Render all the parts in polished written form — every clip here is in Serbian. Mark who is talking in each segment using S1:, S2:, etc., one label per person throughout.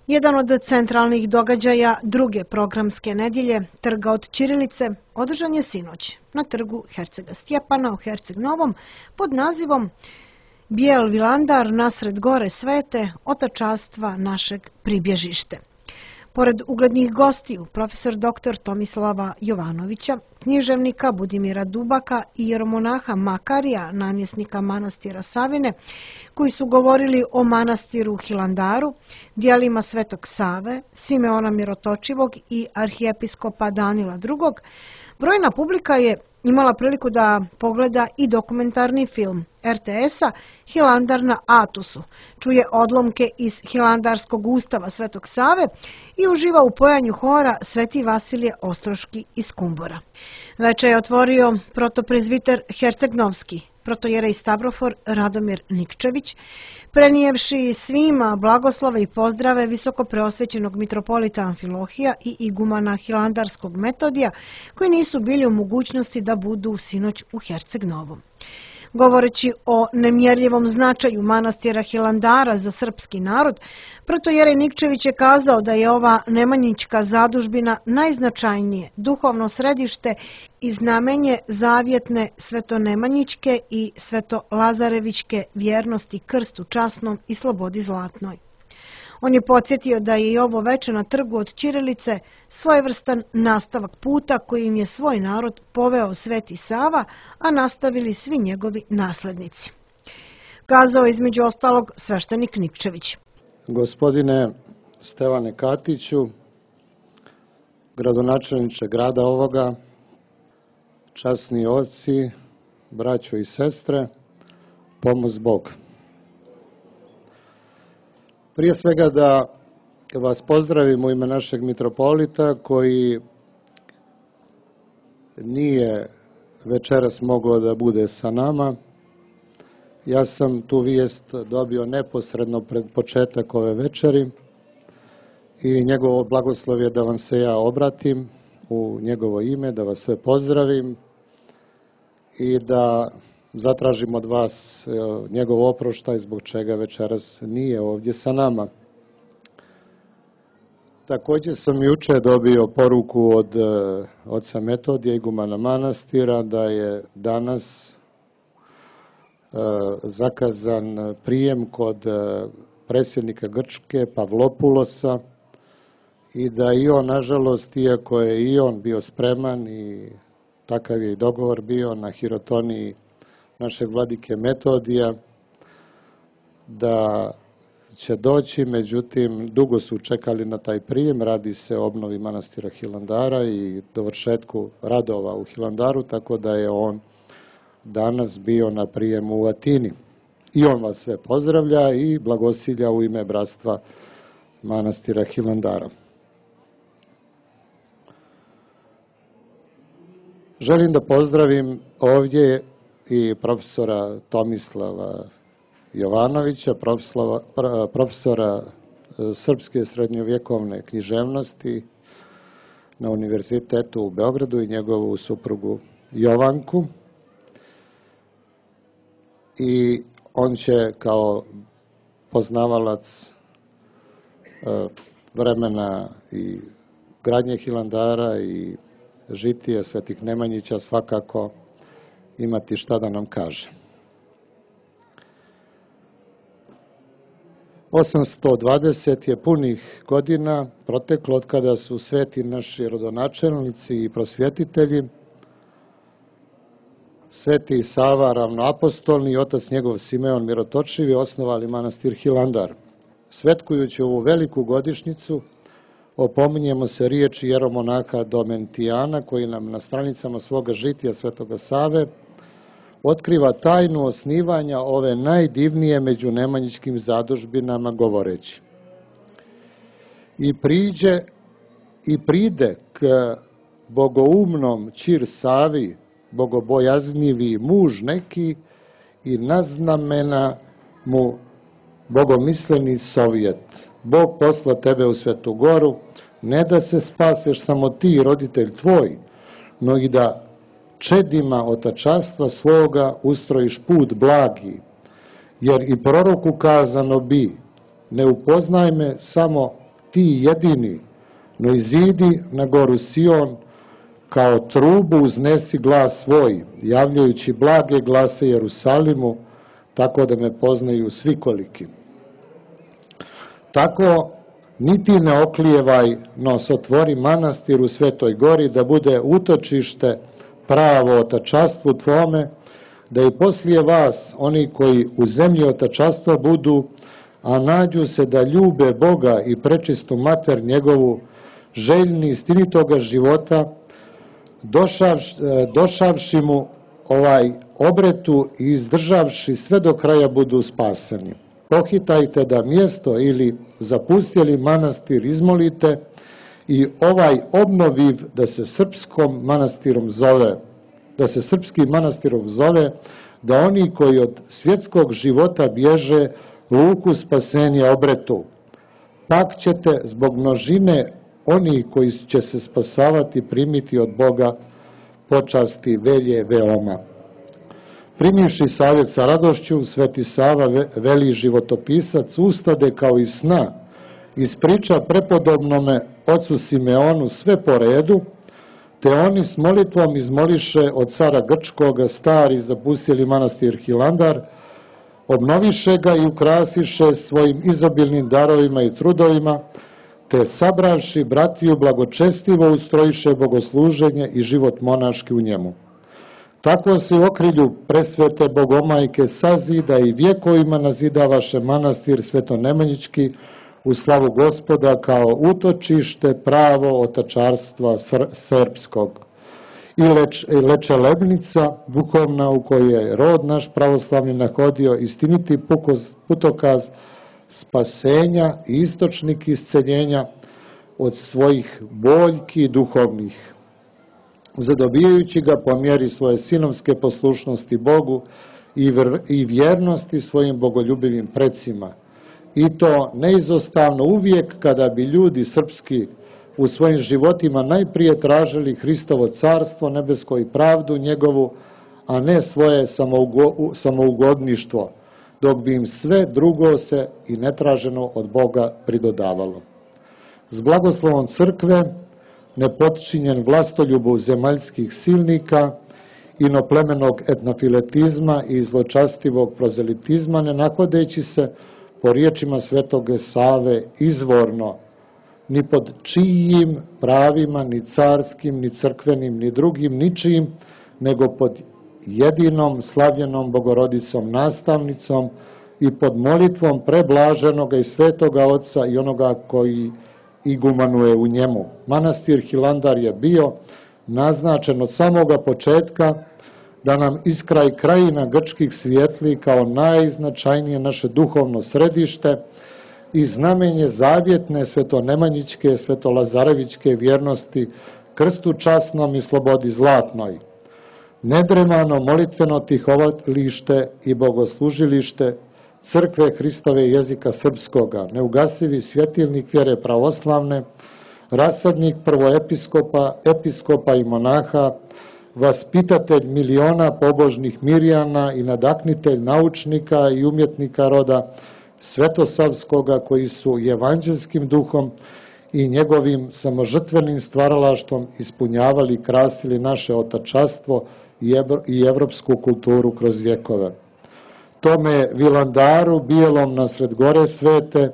S1: Jedan od centralnih događaja druge programske nedjelje, Trga od ćirilice, održan je sinoć na trgu Hercega Stjepana u Herceg Novom pod nazivom Bijel vilandar nasred gore svete, otačastva našeg pribježište. Pored uglednih gostiju, profesor dr. Tomislava Jovanovića, književnika Budimira Dubaka i jeromonaha Makarija, namjesnika manastira Savine, koji su govorili o manastiru Hilandaru, djelima Svetog Save, Simeona Mirotočivog i arhijepiskopa Danila II, brojna publika je imala priliku da pogleda i dokumentarni film RTS-a Hilandar na Atusu, čuje odlomke iz Hilandarskog ustava Svetog Save i uživa u pojanju hora Sveti Vasilije Ostroški iz Kumbora. Večer je otvorio protoprezviter Herceg-Novski, protojerej Stavrofor Radomir Nikčević, prenijevši svima blagoslove i pozdrave visokopreosvećenog mitropolita Amfilohija i igumana Hilandarskog Metodija, koji nisu bili u mogućnosti da budu sinoć u Herceg-Novom. Govoreći o nemjerljivom značaju manastira Hilandara za srpski narod, protojerej Nikčević je kazao da je ova nemanjićka zadužbina najznačajnije duhovno središte i znamenje zavjetne svetonemanjićke i svetolazarevićke vjernosti krstu časnom i slobodi zlatnoj. On je podsjetio da je i ovo veče na trgu od ćirilice svojevrstan nastavak puta kojim je svoj narod poveo Sveti Sava, a nastavili svi njegovi naslednici. Kazao između ostalog sveštenik Nikčević.
S2: Gospodine Stevane Katiću, gradonačelniče grada ovoga, časni oci, braćo i sestre, pomoz Bog. Prije svega da vas pozdravim u ime našeg mitropolita koji nije večeras mogao da bude sa nama. Ja sam tu vijest dobio neposredno pred početak ove večeri i njegovo blagoslov je da vam se ja obratim u njegovo ime, da vas sve pozdravim i da zatražim od vas njegov oproštaj zbog čega večeras nije ovdje sa nama. Također sam juče dobio poruku od oca Metodija, igumana manastira, da je danas zakazan prijem kod predsjednika Grčke Pavlopulosa i da i on, nažalost, iako je i on bio spreman i takav je i dogovor bio na hirotoniji našeg vladike Metodija, da će doći, međutim, dugo su čekali na taj prijem, radi se o obnovi manastira Hilandara i dovršetku radova u Hilandaru, tako da je on danas bio na prijemu u Atini. I on vas sve pozdravlja i blagosilja u ime bratstva manastira Hilandara. Želim da pozdravim ovdje i profesora Tomislava Jovanovića, profesora srpske srednjovjekovne književnosti na Univerzitetu u Beogradu i njegovu suprugu Jovanku. I on će kao poznavalac vremena i gradnje Hilandara i žitije Svetih Nemanjića svakako imati šta da nam kaže. 820 je punih godina proteklo od kada su sveti naši rodonačelnici i prosvjetitelji, Sveti Sava ravnoapostolni i otac njegov Simeon Mirotočivi osnovali manastir Hilandar. Svetkujući ovu veliku godišnjicu, opominjemo se riječi jeromonaha Domentijana, koji nam na stranicama svoga žitija Svetoga Save otkriva tajnu osnivanja ove najdivnije među nemanjićkim zadužbinama govoreći: I pride k bogoumnom Ćir Savi, bogobojaznivi muž neki, i naznamena mu bogomisleni sovjet. Bog posla tebe u Svetu Goru, ne da se spaseš samo ti, roditelj tvoj, no i da čedima otačastva svoga ustrojiš put blagi, jer i proroku kazano bi: ne upoznaj me samo ti jedini, no izidi na goru Sion, kao trubu uznesi glas svoj, javljajući blage glase Jerusalimu, tako da me poznaju svi koliki. Tako, niti ne oklijevaj, no otvori manastir u Svetoj gori, da bude utočište pravo otačastvu tvome, da i poslije vas, oni koji u zemlji otačastva budu, a nađu se da ljube Boga i prečistu mater njegovu, željni istinitoga života, došavši mu obretu i izdržavši sve do kraja budu spaseni. Pohitajte da mjesto ili zapustjeli manastir izmolite i obnoviv da se srpskim manastirom zove, da oni koji od svjetskog života bježe luku spasenja obretu. Pak ćete zbog množine oni koji će se spasavati primiti od Boga počasti velje veoma. Primivši savjet sa radošću, Sveti Sava, veli životopisac, ustade kao iz sna, ispriča prepodobnome ocu Simeonu sve po redu, te oni s molitvom izmoliše od cara Grčkoga stari zapustili manastir Hilandar, obnoviše ga i ukrasiše svojim izobilnim darovima i trudovima, te sabravši bratiju blagočestivo ustrojiše bogosluženje i život monaški u njemu. Tako se u okrilju presvete Bogomajke sazida i vjekovima nazidavaše manastir Svetonemanjički u slavu Gospoda kao utočište pravo otačarstva srpskog. I Lečelebnica duhovna u kojoj je rod naš pravoslavni nahodio istiniti putokaz spasenja i istočnik isceljenja od svojih boljki duhovnih, zadobijajući ga po mjeri svoje sinovske poslušnosti Bogu i vjernosti svojim bogoljubivim precima. I to neizostavno uvijek kada bi ljudi srpski u svojim životima najprije tražili Hristovo carstvo nebesko i pravdu njegovu, a ne svoje samougodništvo, dok bi im sve drugo se i netraženo od Boga pridodavalo. S blagoslovom crkve, nepodčinjen vlastoljubu zemaljskih silnika, inoplemenog etnofiletizma i zločastivog prozelitizma, ne nahodeći se, po riječima Svetoga Save, izvorno, ni pod čijim pravima, ni carskim, ni crkvenim, ni drugim, ničijim, nego pod jedinom slavljenom Bogorodicom nastavnicom i pod molitvom preblaženoga i svetoga Oca i onoga koji igumanuje u njemu. Manastir Hilandar je bio naznačen od samoga početka da nam iskraj krajina grčkih svijetli kao najznačajnije naše duhovno središte i znamenje zavjetne svetonemanjičke, svetolazarevićke vjernosti krstu časnom i slobodi zlatnoj. Nedremano molitveno tihovalište i bogoslužilište crkve Hristove jezika srpskoga, neugasivi svjetilnik vjere pravoslavne, rasadnik prvoepiskopa, episkopa i monaha, vaspitatelj miliona pobožnih Mirjana i nadaknitelj naučnika i umjetnika roda Svetosavskoga, koji su evanđelskim duhom i njegovim samožrtvenim stvaralaštvom ispunjavali i krasili naše otačastvo i evropsku kulturu kroz vjekove. Tome Vilandaru, bijelom nasred gore svete,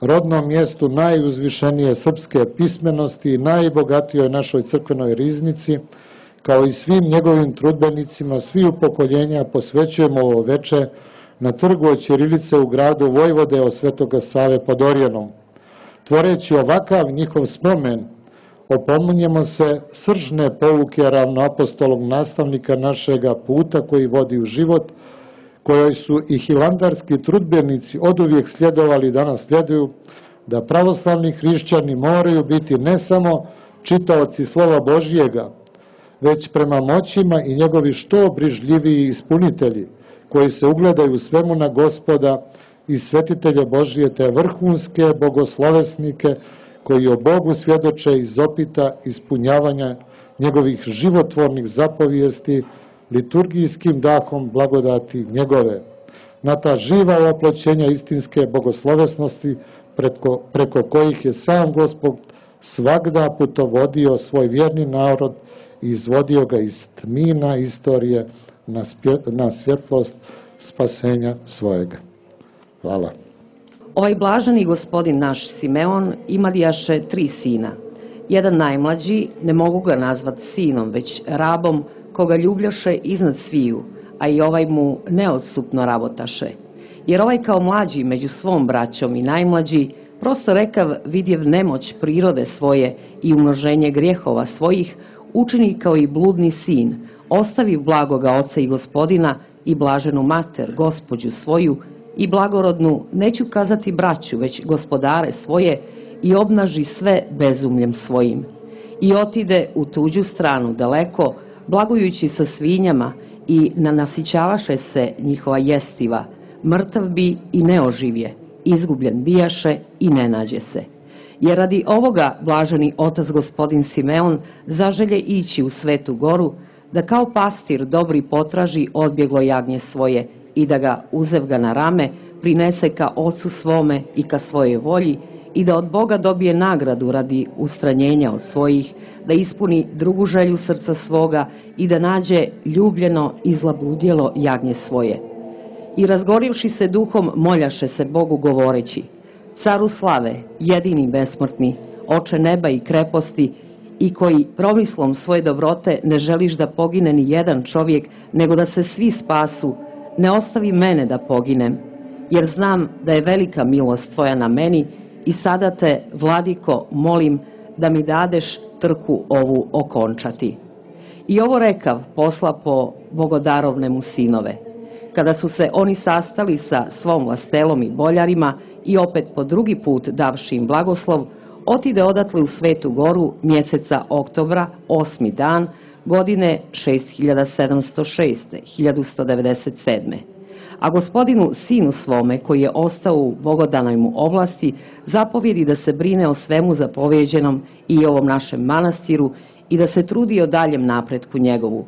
S2: rodnom mjestu najuzvišenije srpske pismenosti i najbogatijoj našoj crkvenoj riznici, kao i svim njegovim trudbenicima, sviju pokoljenja posvećujemo ovo veče na trgu od ćirilice u gradu Vojvode od Svetoga Save pod Orjanom. Tvoreći ovakav njihov spomen, opominjemo se sržne pouke ravnoapostolog nastavnika našega puta koji vodi u život, kojoj su i hilandarski trudbenici oduvijek sljedovali i danas sljeduju, da pravoslavni hrišćani moraju biti ne samo čitaoci slova Božjega, već prema moćima i njegovi što brižljiviji ispunitelji, koji se ugledaju svemu na Gospoda i svetitelje Božije, te vrhunske bogoslovesnike koji o Bogu svjedoče iz opita ispunjavanja njegovih životvornih zapovijesti liturgijskim dahom blagodati njegove. Na ta živa oploćenja istinske bogoslovesnosti preko kojih je sam Gospod svagda putovodio svoj vjerni narod i izvodio ga iz tmina istorije na svjetlost spasenja svojega. Hvala.
S3: Ovaj blaženi gospodin naš Simeon imalijaše 3 sina. Jedan najmlađi, ne mogu ga nazvat sinom, već rabom, koga ljubljaše iznad sviju, a i ovaj mu neodsupno rabotaše. Jer ovaj kao mlađi među svom braćom i najmlađi, prosto rekav vidjev nemoć prirode svoje i umnoženje grijehova svojih, učini kao i bludni sin, ostavi blagoga oca i gospodina i blaženu mater, gospođu svoju, i blagorodnu, neću kazati braću, već gospodare svoje, i obnaži sve bezumljem svojim. I otide u tuđu stranu daleko, blagujući sa svinjama, i nanasićavaše se njihova jestiva, mrtav bi i ne oživje, izgubljen bijaše i ne nađe se. Jer radi ovoga blaženi otac gospodin Simeon zaželje ići u Svetu Goru, da kao pastir dobri potraži odbjeglo jagnje svoje i da ga, uzev ga na rame, prinese ka ocu svome i ka svojoj volji i da od Boga dobije nagradu radi ustranjenja od svojih, da ispuni drugu želju srca svoga i da nađe ljubljeno i zlabudjelo jagnje svoje. I razgorivši se duhom moljaše se Bogu govoreći: Caru slave, jedini besmrtni, oče neba i kreposti, i koji promislom svoje dobrote ne želiš da pogine ni jedan čovjek, nego da se svi spasu, ne ostavi mene da poginem, jer znam da je velika milost tvoja na meni i sada te, vladiko, molim da mi dadeš trku ovu okončati. I ovo rekav posla po bogodarovne mu sinove. Kada su se oni sastali sa svom vlastelom i boljarima i opet po drugi put davši im blagoslov, otide odatle u Svetu Goru mjeseca oktobra, 8. dan, godine 6706. 1197. A gospodinu sinu svome, koji je ostao u bogodanoj mu oblasti, zapovjedi da se brine o svemu zapovjeđenom i ovom našem manastiru i da se trudi o daljem napretku njegovu.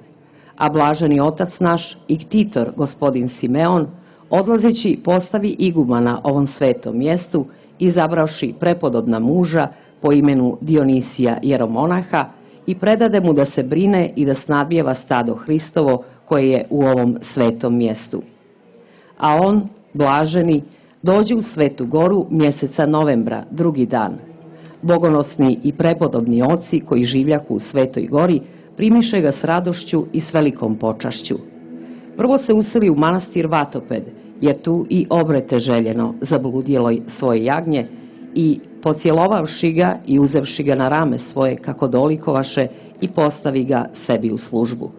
S3: A blaženi otac naš i ktitor, gospodin Simeon, odlazeći postavi igumana ovom svetom mjestu, izabravši prepodobna muža po imenu Dionisija jeromonaha, i predade mu da se brine i da snadbijeva stado Hristovo koje je u ovom svetom mjestu. A on, blaženi, dođe u Svetu Goru mjeseca novembra, 2. dan. Bogonosni i prepodobni oci koji življahu u Svetoj Gori primiše ga s radošću i s velikom počašću. Prvo se useli u manastir Vatoped, jer tu i obrete željeno zabludjelo svoje jagnje, i pocjelovavši ga i uzevši ga na rame svoje kako dolikovaše, i postavi ga sebi u službu.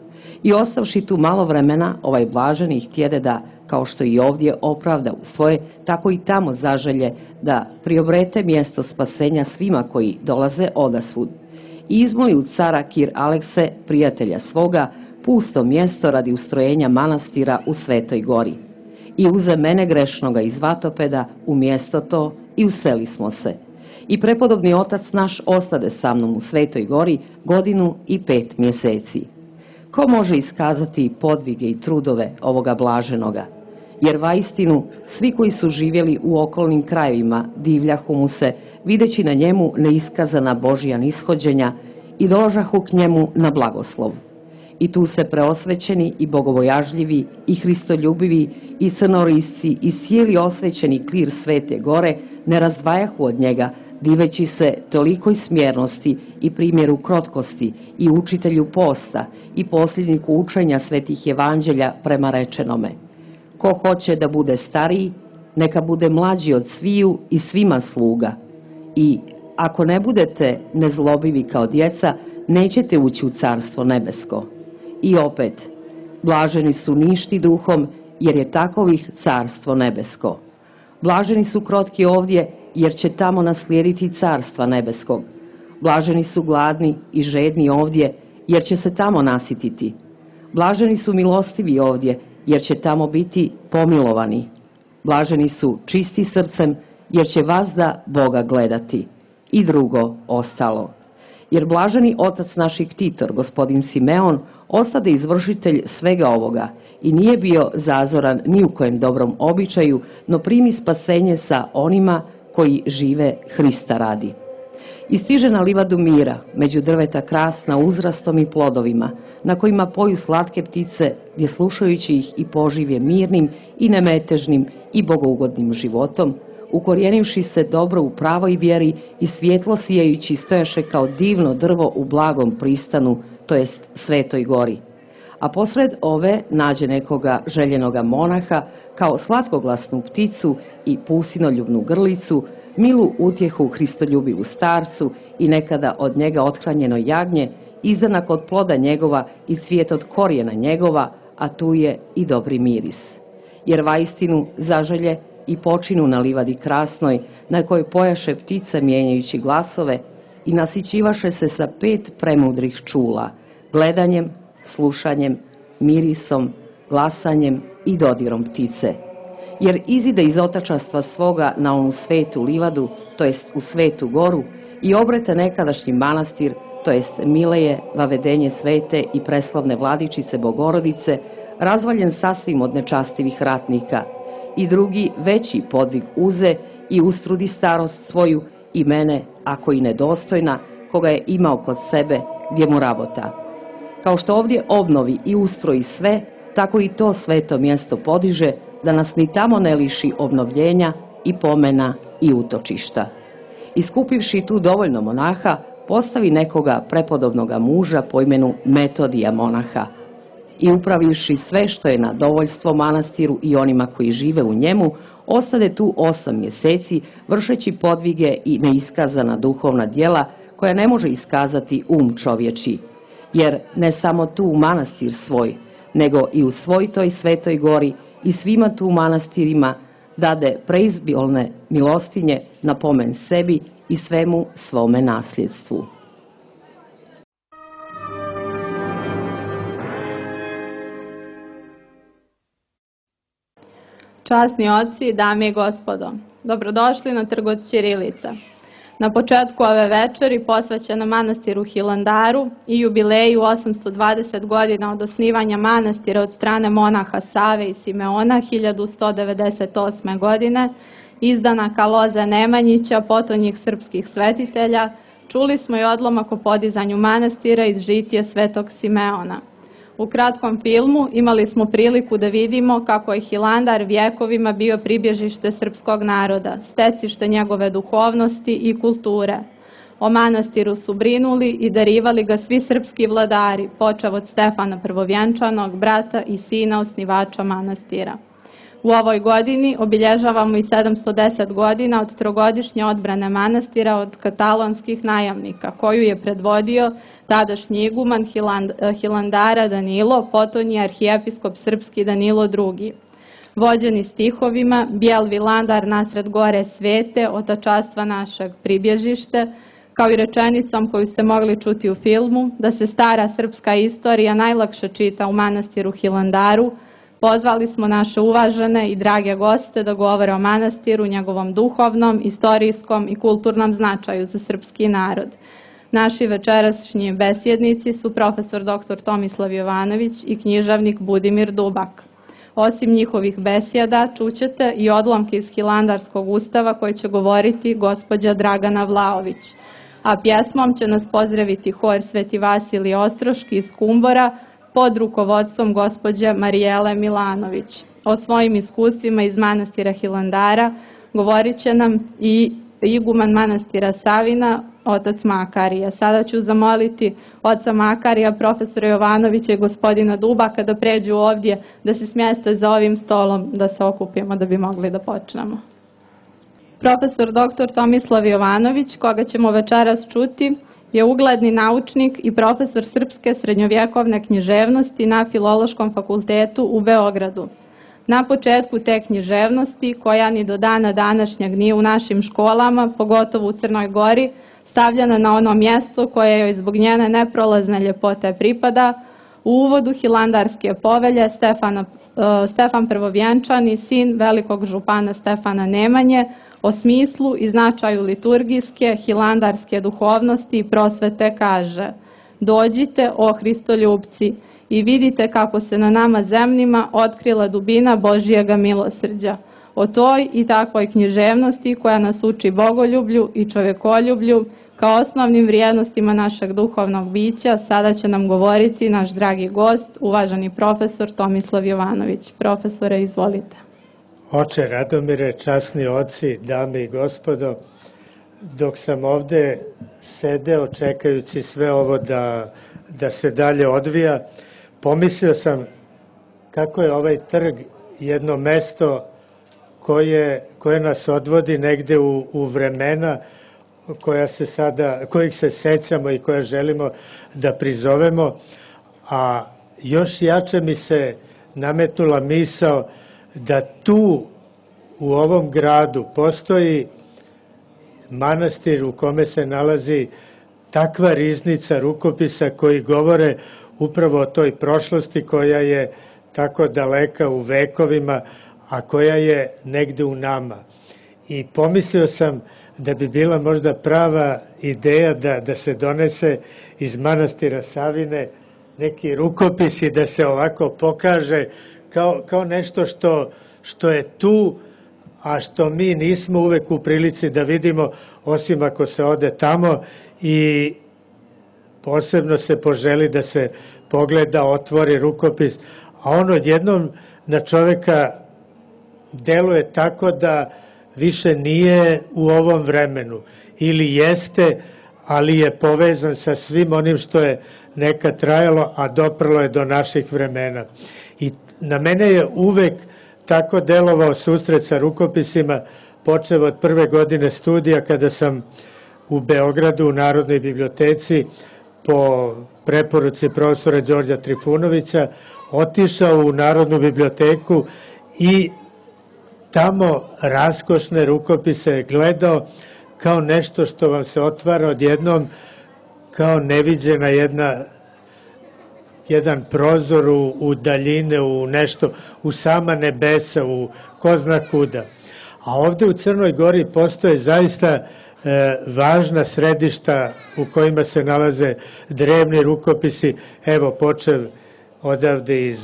S3: I ostavši tu malo vremena, ovaj blaženi htjede da, kao što i ovdje opravda u svoje, tako i tamo zaželje da priobrete mjesto spasenja svima koji dolaze odasvud. I izmoli u cara Kir Alekse, prijatelja svoga, pusto mjesto radi ustrojenja manastira u Svetoj Gori. I uze mene grešnoga iz Vatopeda u mjesto to i useli smo se. I prepodobni otac naš ostade sa mnom u Svetoj Gori 1 i 5 mjeseci. Ko može iskazati podvige i trudove ovoga blaženoga? Jer vaistinu svi koji su živjeli u okolnim krajevima divljahu mu se, videći na njemu neiskazana Božja nishođenja, i dolažahu k njemu na blagoslov. I tu se preosvećeni i bogobojažljivi i hristoljubivi i crnorisci i cijeli osvećeni klir Svete Gore ne razdvajahu od njega, diveći se tolikoj smjernosti i primjeru krotkosti i učitelju posta i posljedniku učenja svetih evanđelja prema rečenome: ko hoće da bude stariji, neka bude mlađi od sviju i svima sluga. I ako ne budete nezlobivi kao djeca, nećete ući u carstvo nebesko. I opet, blaženi su ništi duhom, jer je takovih carstvo nebesko. Blaženi su krotki ovdje, jer će tamo naslijediti carstva nebeskog. Blaženi su gladni i žedni ovdje, jer će se tamo nasititi. Blaženi su milostivi ovdje, jer će tamo biti pomilovani. Blaženi su čisti srcem, jer će vazda Boga gledati. I drugo ostalo. Jer blaženi otac naših ktitor, gospodin Simeon, ostade izvršitelj svega ovoga i nije bio zazoran ni u kojem dobrom običaju, no primi spasenje sa onima koji žive Hrista radi. I stiže na livadu mira, među drveta krasna uzrastom i plodovima, na kojima poju slatke ptice, gdje slušajući ih i poživje mirnim i nemetežnim i bogougodnim životom, ukorijenivši se dobro u pravoj vjeri i svjetlo sijajući stojaše kao divno drvo u blagom pristanu, to jest Svetoj gori. A posred ove nađe nekoga željenoga monaha kao slatkoglasnu pticu i pusinoljubnu grlicu, milu utjehu hristoljubivu starcu i nekada od njega othranjeno jagnje, izdanak od ploda njegova i cvijet od korijena njegova, a tu je i dobri miris. Jer vaistinu zaželje i počinu na livadi krasnoj, na kojoj pojaše ptica mijenjajući glasove i nasićivaše se sa 5 premudrih čula, gledanjem, slušanjem, mirisom, glasanjem i dodirom ptice. Jer izide iz otačastva svoga na onu svetu livadu, to jest u Svetu goru, i obrete nekadašnji manastir, to jest Mileje, vavedenje svete i preslavne vladičice Bogorodice, razvaljen sasvim od nečastivih ratnika, i drugi veći podvig uze i ustrudi starost svoju i mene, ako i nedostojna, koga je imao kod sebe gdje mu rabota. Kao što ovdje obnovi i ustroji sve, tako i to sveto mjesto podiže, da nas ni tamo ne liši obnovljenja i pomena i utočišta. Iskupivši tu dovoljno monaha, postavi nekoga prepodobnoga muža po imenu Metodija monaha. I upravivši sve što je na dovoljstvo manastiru i onima koji žive u njemu, ostade tu 8 mjeseci, vršeći podvige i neiskazana duhovna djela koja ne može iskazati čovječi. Jer ne samo tu u manastir svoj, nego i u svoj toj Svetoj gori i svima tu manastirima dade preizbilne milostinje na pomen sebi i svemu svome nasljedstvu.
S4: Časni oci, dame i gospodo, dobrodošli na Trgovac ćirilica. Na početku ove večeri posvećena manastiru Hilandaru i jubileju 820 godina od osnivanja manastira od strane monaha Save i Simeona 1198. godine, izdanaka Loze Nemanjića, potonjih srpskih svetitelja, čuli smo i odlomak o podizanju manastira iz žitije Svetog Simeona. U kratkom filmu imali smo priliku da vidimo kako je Hilandar vjekovima bio pribježište srpskog naroda, stecište njegove duhovnosti i kulture. O manastiru su brinuli i darivali ga svi srpski vladari, počev od Stefana Prvovjenčanog, brata i sina osnivača manastira. U ovoj godini obilježavamo i 710 godina od trogodišnje odbrane manastira od katalonskih najamnika, koju je predvodio tadašnji iguman Hilandara Danilo, potonji arhijepiskop srpski Danilo II. Vođeni stihovima, bijel Vilandar nasred gore svete, otačastva našeg pribježište, kao i rečenicom koju ste mogli čuti u filmu, da se stara srpska istorija najlakše čita u manastiru Hilandaru, pozvali smo naše uvažene i drage goste da govore o manastiru, njegovom duhovnom, istorijskom i kulturnom značaju za srpski narod. Naši večerašnji besjednici su profesor dr. Tomislav Jovanović i književnik Budimir Dubak. Osim njihovih besjeda, čućete i odlomke iz Hilandarskog ustava koje će govoriti gospođa Dragana Vlaović. A pjesmom će nas pozdraviti hor Sveti Vasilij Ostroški iz Kumbora pod rukovodstvom gospođe Marijele Milanović. O svojim iskustvima iz manastira Hilandara govorit će nam i iguman manastira Savina, otac Makarija. Sada ću zamoliti oca Makarija, profesora Jovanovića i gospodina Dubaka da pređu ovdje, da se smjeste za ovim stolom, da se okupimo da bi mogli da počnemo. Profesor dr. Tomislav Jovanović, koga ćemo večeras čuti, je ugledni naučnik i profesor srpske srednjovjekovne književnosti na Filološkom fakultetu u Beogradu. Na početku te književnosti, koja ni do dana današnjeg nije u našim školama, pogotovo u Crnoj Gori, stavljena na ono mjesto koje joj zbog njene neprolazne ljepote pripada, u uvodu Hilandarske povelje Stefan Prvovjenčani, sin velikog župana Stefana Nemanje, o smislu i značaju liturgijske, hilandarske duhovnosti i prosvete kaže: dođite, o Hristoljupci, i vidite kako se na nama zemljima otkrila dubina Božijega milosrđa. O toj i takvoj književnosti koja nas uči bogoljublju i čovekoljublju kao osnovnim vrijednostima našeg duhovnog bića sada će nam govoriti naš dragi gost, uvaženi profesor Tomislav Jovanović. Profesore, izvolite.
S5: Oče Radomire, časni oci, dame i gospodo, dok sam ovde sedeo čekajući sve ovo da se dalje odvija, pomislio sam kako je ovaj trg jedno mesto koje nas odvodi negde u vremena kojih se sećamo i koja želimo da prizovemo, a još jače mi se nametnula misao da tu u ovom gradu postoji manastir u kome se nalazi takva riznica rukopisa koji govore upravo o toj prošlosti koja je tako daleka u vekovima, a koja je negde u nama. I pomislio sam da bi bila možda prava ideja da se donese iz manastira Savine neki rukopis i da se ovako pokaže kao nešto što je tu, a što mi nismo uvek u prilici da vidimo, osim ako se ode tamo i posebno se poželi da se pogleda, otvori rukopis, a on odjednom na čoveka deluje tako da više nije u ovom vremenu, ili jeste, ali je povezan sa svim onim što je nekad trajalo, a doprlo je do naših vremena. I na mene je uvek tako delovao susret sa rukopisima, počeo od prve godine studija kada sam u Beogradu u Narodnoj biblioteci po preporuci profesora Đorđa Trifunovića otišao u Narodnu biblioteku i tamo raskošne rukopise gledao kao nešto što vam se otvara odjednom, kao neviđena jedan prozor u daljine, u nešto, u sama nebesa, u ko zna kuda. A ovde u Crnoj Gori postoje zaista važna središta u kojima se nalaze drevni rukopisi, evo počev odavde iz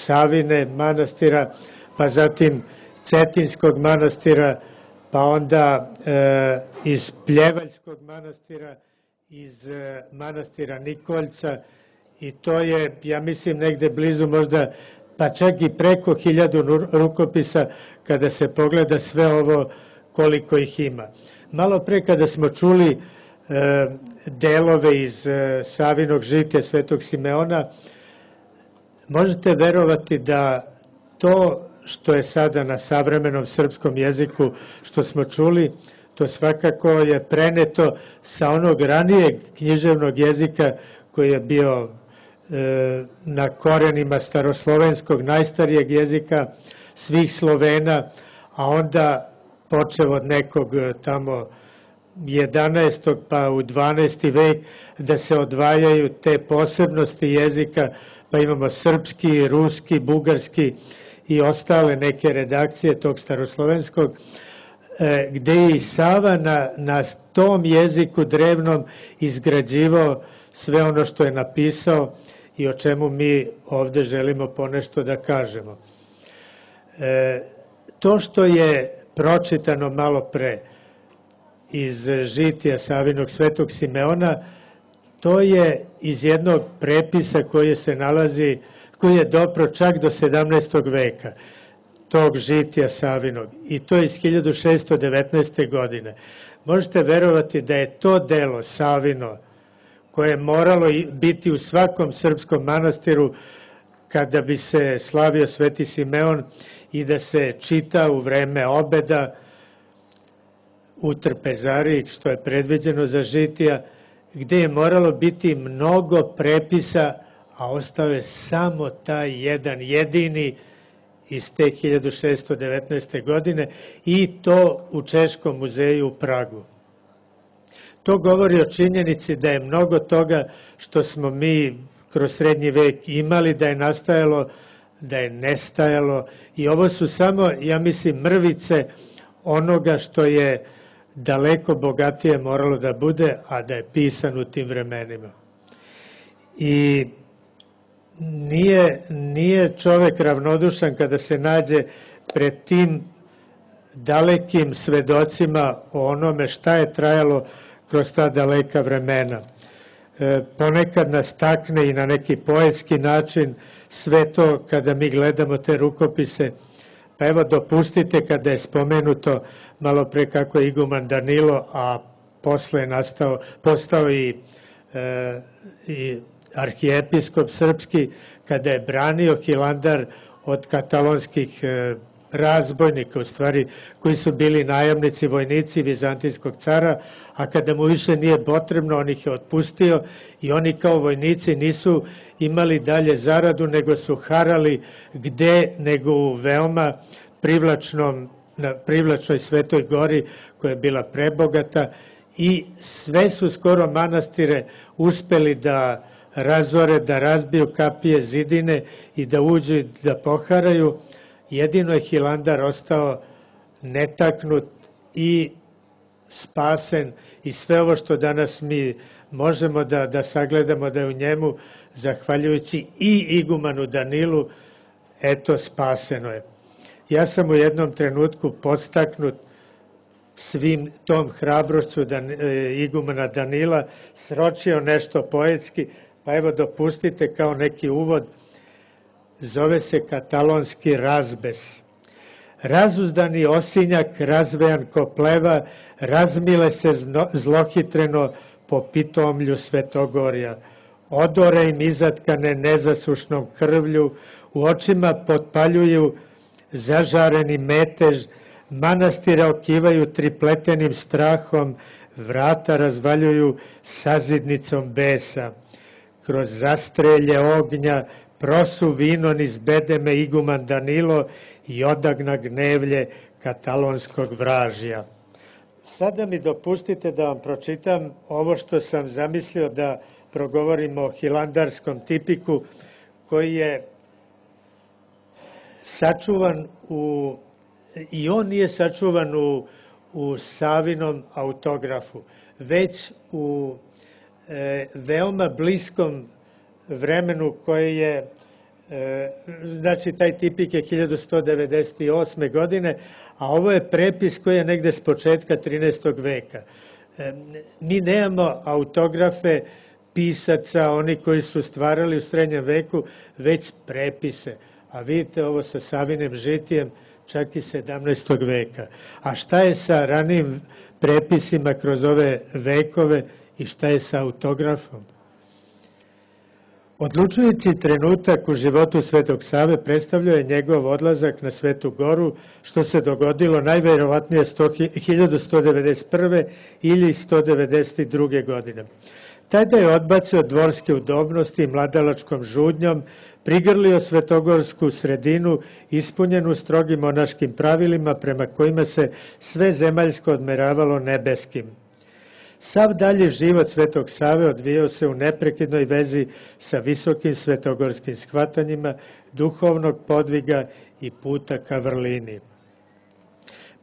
S5: Savine manastira, pa zatim Cetinskog manastira, pa onda iz Pljevaljskog manastira, iz manastira Nikoljca, i to je, ja mislim, negde blizu možda, pa čak i preko 1000 rukopisa kada se pogleda sve ovo koliko ih ima. Malo pre kada smo čuli delove iz Savinog žitija Svetog Simeona, možete verovati da to što je sada na savremenom srpskom jeziku, što smo čuli, to svakako je preneto sa onog ranijeg književnog jezika koji je bio na korenima staroslovenskog, najstarijeg jezika svih Slovena, a onda počeo od nekog tamo 11. pa u 12. vek da se odvajaju te posebnosti jezika, pa imamo srpski, ruski, bugarski i ostale neke redakcije tog staroslovenskog, gde je i Sava na tom jeziku drevnom izgrađivao sve ono što je napisao i o čemu mi ovde želimo ponešto da kažemo. To što je pročitano malo pre iz žitija Savinog Svetog Simeona, to je iz jednog prepisa koji je dopro čak do 17. veka, tog žitija Savinog, i to je iz 1619. godine. Možete verovati da je to delo Savino, koje je moralo biti u svakom srpskom manastiru kada bi se slavio Sveti Simeon i da se čita u vreme obeda u trpezariji, što je predviđeno za žitija, gde je moralo biti mnogo prepisa, a ostao je samo taj jedan jedini iz te 1619. godine, i to u Češkom muzeju u Pragu. To govori o činjenici da je mnogo toga što smo mi kroz srednji vek imali, da je nastajalo, da je nestajalo, i ovo su samo, ja mislim, mrvice onoga što je daleko bogatije moralo da bude, a da je pisan u tim vremenima. I nije čovek ravnodušan kada se nađe pred tim dalekim svedocima o onome šta je trajalo kroz ta daleka vremena. Ponekad nas takne i na neki poetski način sve to kada mi gledamo te rukopise. Pa evo dopustite kada je spomenuto malo pre kako je iguman Danilo, a posle je postao i arhijepiskop srpski, kada je branio Hilandar od katalonskih razbojnika, u stvari, koji su bili najamnici, vojnici vizantijskog cara, a kada mu više nije potrebno, on ih je otpustio i oni kao vojnici nisu imali dalje zaradu, nego su harali gde, nego u veoma privlačnoj Svetoj gori, koja je bila prebogata, i sve su skoro manastire uspeli da razore, da razbiju kapije, zidine i da uđu i da poharaju. Jedino je Hilandar ostao netaknut i spasen, i sve ovo što danas mi možemo da sagledamo da je u njemu, zahvaljujući i igumanu Danilu, eto, spaseno je. Ja sam u jednom trenutku podstaknut svim tom hrabrošću igumana Danila sročio nešto poetski, pa evo dopustite kao neki uvod. Zove se katalonski razbes. Razuzdani osinjak, razvejan ko pleva, razmile se zlohitreno po pitomlju Svetogorja. Odore im izatkane nezasušnom krvlju, u očima potpaljuju zažareni metež, manastire okivaju tripletenim strahom, vrata razvaljuju sazidnicom besa. Kroz zastrelje ognja prosu vino niz bedeme iguman Danilo i odagna gnevlje katalonskog vražja. Sada mi dopustite da vam pročitam ovo što sam zamislio da progovorimo o hilandarskom tipiku, koji je sačuvan i on nije sačuvan u Savinom autografu, već u veoma bliskom vremenu koje je, znači taj tipik je 1198. godine, a ovo je prepis koji je negde s početka 13. veka. Mi nemamo autografe pisaca, oni koji su stvarali u srednjem veku, već prepise. A vidite ovo sa Savinim žitijem, čak i 17. veka. A šta je sa ranijim prepisima kroz ove vekove i šta je sa autografom? Odlučujući trenutak u životu Svetog Save predstavljao je njegov odlazak na Svetu Goru, što se dogodilo najverovatnije 1191. ili 192. godine. Tada je odbacio dvorske udobnosti i mladalačkom žudnjom, prigrlio svetogorsku sredinu ispunjenu strogim monaškim pravilima prema kojima se sve zemaljsko odmeravalo nebeskim. Sav dalji život Svetog Save odvijao se u neprekidnoj vezi sa visokim svetogorskim shvatanjima, duhovnog podviga i puta ka vrlini.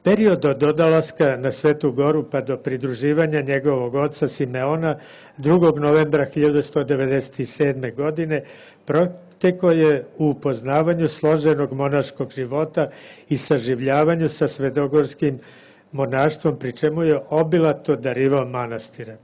S5: Period od odlaska na Svetu Goru pa do pridruživanja njegovog oca Simeona 2. novembra 1197. godine protekao je u upoznavanju složenog monaškog života i saživljavanju sa svedogorskim monaštvom, pri čemu je obilato darivao manastire.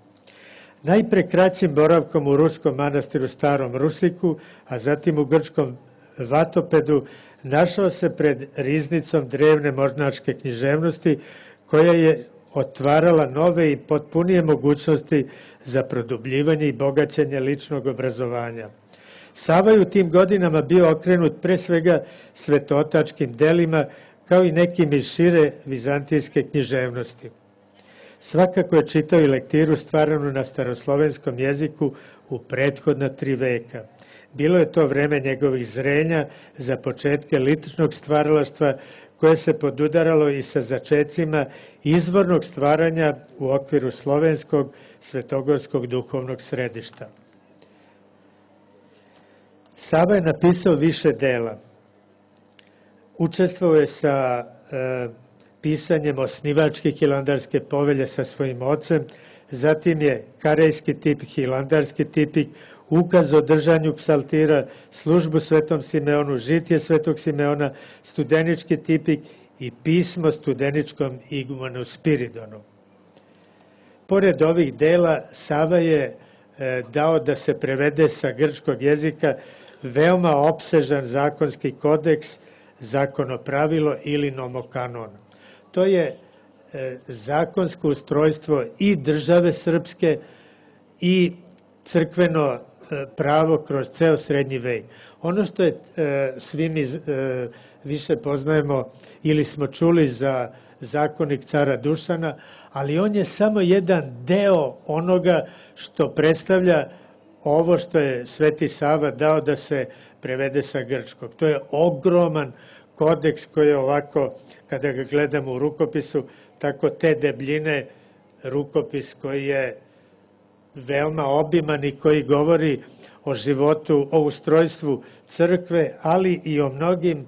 S5: Najpre kraćim boravkom u ruskom manastiru Starom Rusiku, a zatim u grčkom Vatopedu, našao se pred riznicom drevne monaške književnosti, koja je otvarala nove i potpunije mogućnosti za produbljivanje i bogaćenje ličnog obrazovanja. Sava je u tim godinama bio okrenut pre svega svetotačkim delima, kao i nekim iz šire vizantijske književnosti. Svakako je čitao i lektiru stvaranu na staroslovenskom jeziku u prethodna 3 veka. Bilo je to vreme njegovih zrenja za početke ličnog stvaralaštva, koje se podudaralo i sa začecima izvornog stvaranja u okviru slovenskog svetogorskog duhovnog središta. Sava je napisao više dela. Učestvovao je sa pisanjem osnivačke hilandarske povelje sa svojim ocem, zatim je karejski tipik, hilandarski tipik, ukaz o držanju psaltira, službu Svetom Simeonu, žitije Svetog Simeona, studenički tipik i pismo studeničkom igumanu Spiridonu. Pored ovih dela, Sava je dao da se prevede sa grčkog jezika veoma opsežan zakonski kodeks, zakonopravilo ili nomokanon. To je zakonsko ustrojstvo i države srpske i crkveno pravo kroz ceo srednji vek. Ono što je svi mi više poznajemo ili smo čuli za zakonik cara Dušana, ali on je samo jedan deo onoga što predstavlja ovo što je Sveti Sava dao da se prevede sa grčkog. To je ogroman kodeks koji je ovako, kada ga gledamo u rukopisu, tako te debljine, rukopis koji je veoma obiman i koji govori o životu, o ustrojstvu crkve, ali i o mnogim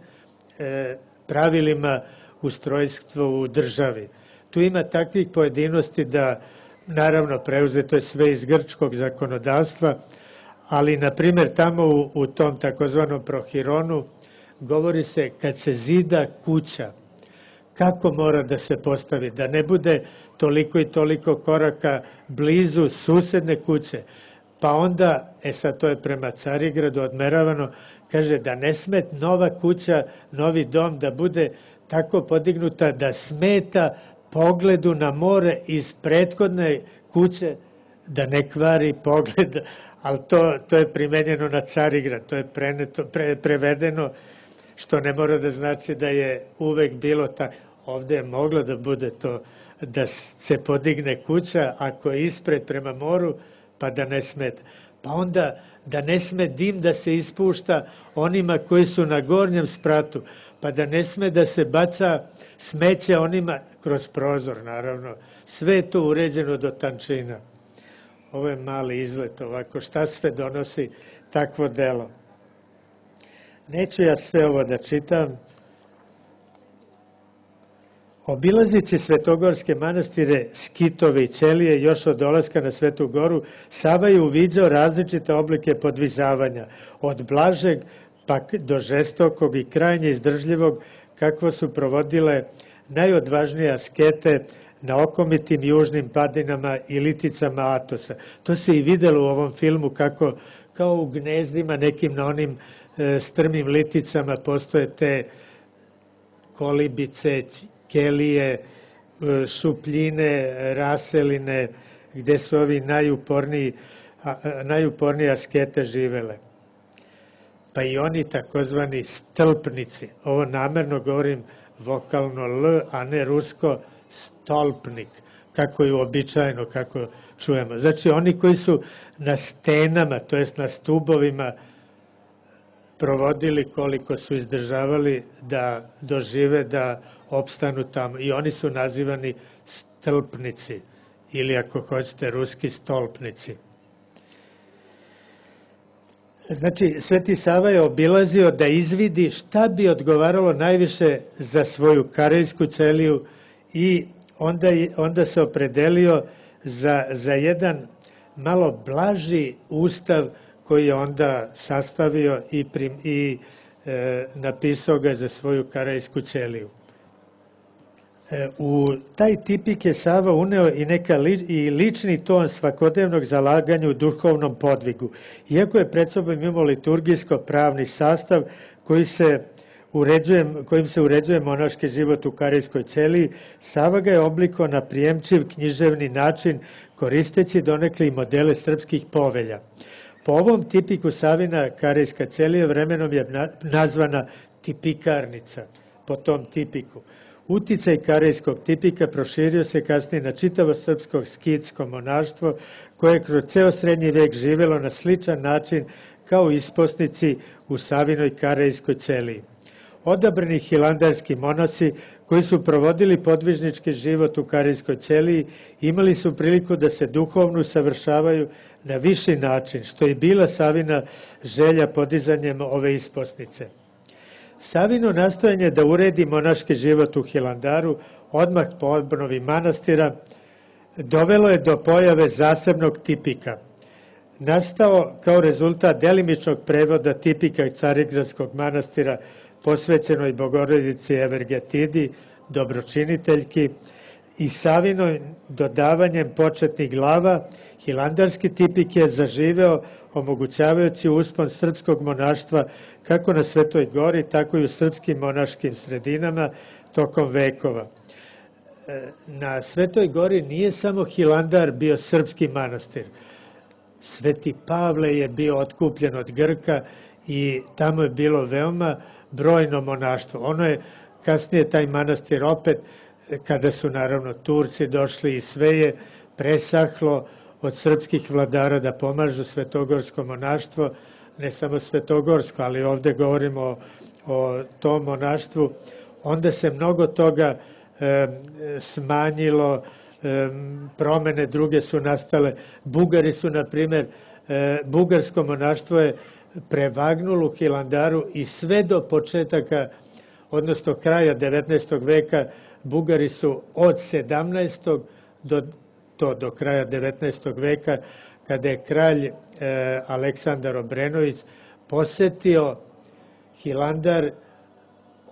S5: pravilima ustrojstva u državi. Tu ima takvih pojedinosti da, naravno, preuzeto je sve iz grčkog zakonodavstva, ali, na primjer, tamo u tom takozvanom Prohironu govori se kad se zida kuća, kako mora da se postavi, da ne bude toliko i toliko koraka blizu susedne kuće. Pa onda, sad to je prema Carigradu odmeravano, kaže da ne sme nova kuća, novi dom da bude tako podignuta da smeta pogledu na more iz prethodne kuće, da ne kvari pogled, ali to je primenjeno na Carigrad, to je prevedeno, što ne mora da znači da je uvek bilo tako. Ovde je moglo da bude to, da se podigne kuća ako je ispred prema moru, pa da ne smeta. Pa onda da ne sme dim da se ispušta onima koji su na gornjem spratu, pa da ne sme da se baca smeće onima kroz prozor, naravno. Sve je to uređeno do tančina. Ovo je mali izlet ovako, šta sve donosi takvo delo. Neću ja sve ovo da čitam. Obilazići svetogorske manastire, skitove i ćelije još od dolaska na Svetu Goru, Sava je uviđao različite oblike podvizavanja, od blažeg pa do žestokog i krajnje izdržljivog, kakvo su provodile najodvažnije askete na okomitim južnim padinama i liticama Atosa. To se i videlo u ovom filmu kako kao u gnezdima nekim na onim strmim liticama postoje te kolibice, kelije, šupljine, raseline, gde su ovi najupornije askete živele. Pa i oni takozvani stolpnici, ovo namerno govorim vokalno L, a ne rusko stolpnik, kako je uobičajeno, kako čujemo. Znači oni koji su na stenama, to jest na stubovima, provodili koliko su izdržavali da dožive da opstanu tamo. I oni su nazivani stolpnici, ili ako hoćete ruski stolpnici. Znači, Sveti Sava je obilazio da izvidi šta bi odgovaralo najviše za svoju karejsku ćeliju i onda se opredelio za jedan malo blaži ustav koji je onda sastavio i napisao ga za svoju karejsku ćeliju. U taj tipik je Sava uneo i lični ton svakodnevnog zalaganja u duhovnom podvigu. Iako je pred sobom imao liturgijsko-pravni sastav kojim se uređuje monaški život u karejskoj ćeliji, Sava ga je oblikao na prijemčiv književni način, koristeći donekle i modele srpskih povelja. Po ovom tipiku Savina karejska ćelija vremenom je nazvana tipikarnica, po tom tipiku. Uticaj karejskog tipika proširio se kasnije na čitavo srpsko skitsko monaštvo, koje je kroz ceo srednji vek živelo na sličan način kao isposnici u Savinoj karejskoj ćeliji. Odabrani hilandarski monasi koji su provodili podvižnički život u karejskoj ćeliji imali su priliku da se duhovno usavršavaju na viši način, što je bila Savina želja podizanjem ove isposnice. Savino nastojanje da uredi monaški život u Hilandaru odmah po obnovi manastira dovelo je do pojave zasebnog tipika. Nastao kao rezultat delimičnog prevoda tipika Carigradskog manastira posvećenoj Bogorodici Evergetidi, dobročiniteljki, i Savinom dodavanjem početnih glava hilandarski tipik je zaživeo, omogućavajući uspon srpskog monaštva kako na Svetoj gori, tako i u srpskim monaškim sredinama tokom vekova. Na Svetoj gori nije samo Hilandar bio srpski manastir. Sveti Pavle je bio otkupljen od Grka i tamo je bilo veoma brojno monaštvo. Ono je kasnije taj manastir opet, kada su naravno Turci došli i sve je presahlo od srpskih vladara da pomažu svetogorsko monaštvo, ne samo svetogorsko, ali ovde govorimo o tom monaštvu, onda se mnogo toga smanjilo, promene druge su nastale. Bugari su, na primer, bugarsko monaštvo je prevagnulo u Hilandaru i sve do početaka, odnosno kraja 19. veka, Bugari su od 17. do kraja 19. veka, kada je kralj Aleksandar Obrenović posetio Hilandar,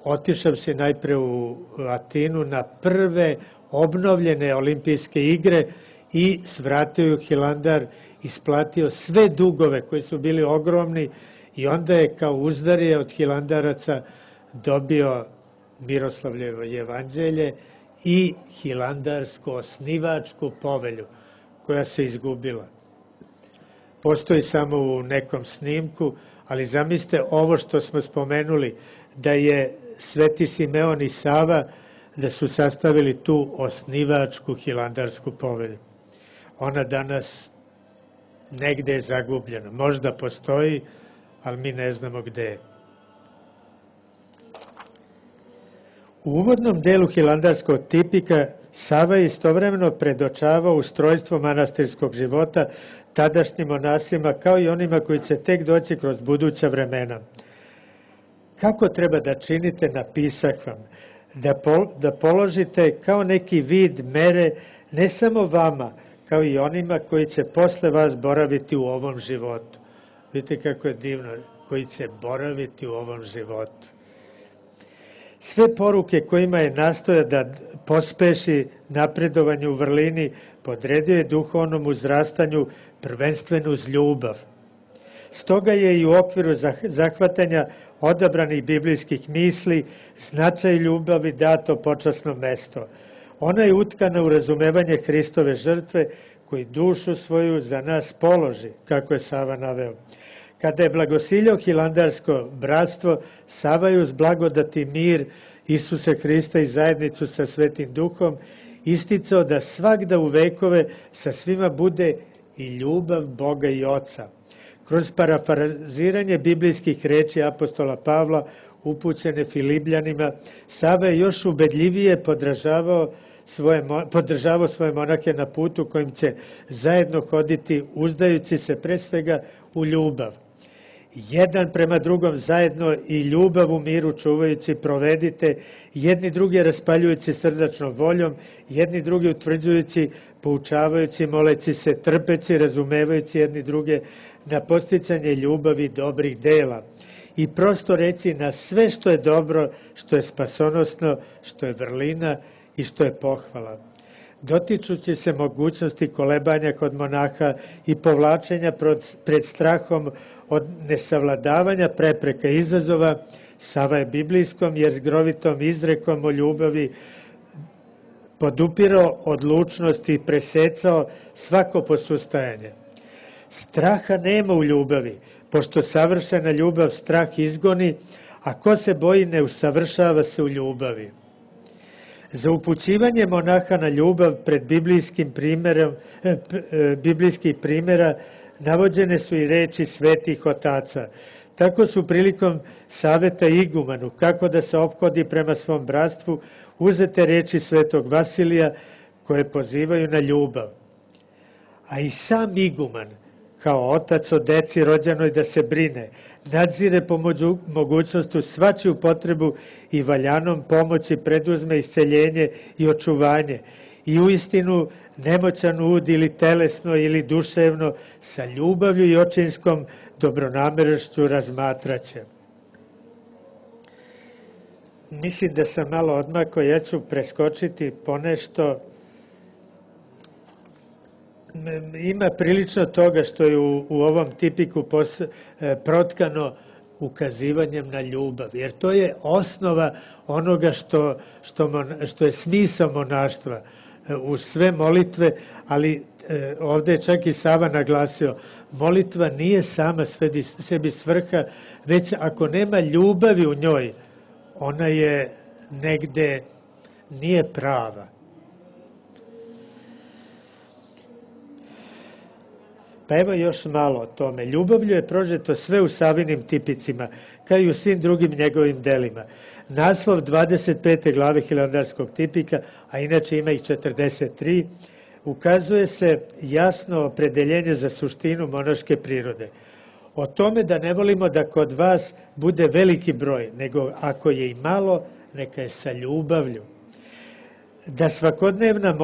S5: otišao se najpre u Atinu na prve obnovljene olimpijske igre i svratio u Hilandar, isplatio sve dugove koji su bili ogromni i onda je kao uzdarje od Hilandaraca dobio Miroslavljevo jevanđelje i hilandarsku osnivačku povelju koja se izgubila. Postoji samo u nekom snimku, ali zamislite ovo što smo spomenuli, da je Sveti Simeon i Sava, da su sastavili tu osnivačku hilandarsku povelju. Ona danas negde je zagubljena. Možda postoji, ali mi ne znamo gde je. U uvodnom delu hilandarskog tipika Sava je istovremeno predočavao ustrojstvo manastirskog života tadašnjim monasima, kao i onima koji će tek doći kroz buduća vremena. Kako treba da činite, napisah vam, da položite kao neki vid mere ne samo vama, kao i onima koji će posle vas boraviti u ovom životu. Vidite kako je divno, koji će boraviti u ovom životu. Sve poruke kojima je nastoja da pospeši napredovanje u vrlini, podredio je duhovnom uzrastanju prvenstveno uz ljubav. Stoga je i u okviru zahvatanja odabranih biblijskih misli značaj ljubavi dato počasno mesto. Ona je utkana u razumevanje Hristove žrtve koji dušu svoju za nas položi, kako je Sava naveo. Kada je blagosiljao hilandarsko bratstvo, Sava je uz blagodati mir Isuse Hrista i zajednicu sa Svetim Duhom isticao da svagda u vekove sa svima bude i ljubav Boga i Oca. Kroz parafraziranje biblijskih reči apostola Pavla upućene Filipljanima, Sava je još ubedljivije podržavao svoje monahe na putu kojim će zajedno hoditi, uzdajući se pre svega u ljubav. Jedan prema drugom zajedno i ljubav u miru čuvajući provedite, jedni druge raspaljujući srdačnom voljom, jedni druge utvrđujući, poučavajući, moleći se, trpeći, razumevajući jedni druge na posticanje ljubavi dobrih dela. I prosto reći na sve što je dobro, što je spasonosno, što je vrlina i što je pohvala. Dotičući se mogućnosti kolebanja kod monaha i povlačenja pred strahom od nesavladavanja prepreka i izazova, Sava je biblijskom jezgrovitom izrekom o ljubavi podupirao odlučnost i presecao svako posustajanje. Straha nema u ljubavi, pošto savršena ljubav strah izgoni, a ko se boji ne usavršava se u ljubavi. Za upućivanje monaha na ljubav pred biblijskih primjera navođene su i reči svetih otaca. Tako su prilikom saveta igumanu, kako da se ophodi prema svom bratstvu, uzete reči svetog Vasilija koje pozivaju na ljubav. A i sam iguman, kao otac o deci rođenoj da se brine, nadzire po mogućnostu svačiju potrebu i valjanom pomoći preduzme isceljenje i očuvanje i uistinu nemoćan ud ili telesno ili duševno sa ljubavlju i očinskom dobronamernošću razmatraće. mislim da sam malo odmako, ja ću preskočiti ponešto. Ima prilično toga što je u ovom tipiku protkano ukazivanjem na ljubav, jer to je osnova onoga što je smisao monaštva u sve molitve, ali ovde je čak i Sava naglasio, molitva nije sama sebi svrha, već ako nema ljubavi u njoj, ona je negde nije prava. Pa evo još malo o tome. Ljubavlju je prožeto sve u Savinim tipicima, kao i u svim drugim njegovim delima. Naslov 25. glave Hilandarskog tipika, a inače ima ih 43, ukazuje se jasno opredeljenje za suštinu monaške prirode. O tome da ne volimo da kod vas bude veliki broj, nego ako je i malo, neka je sa ljubavlju. Da svakodnevna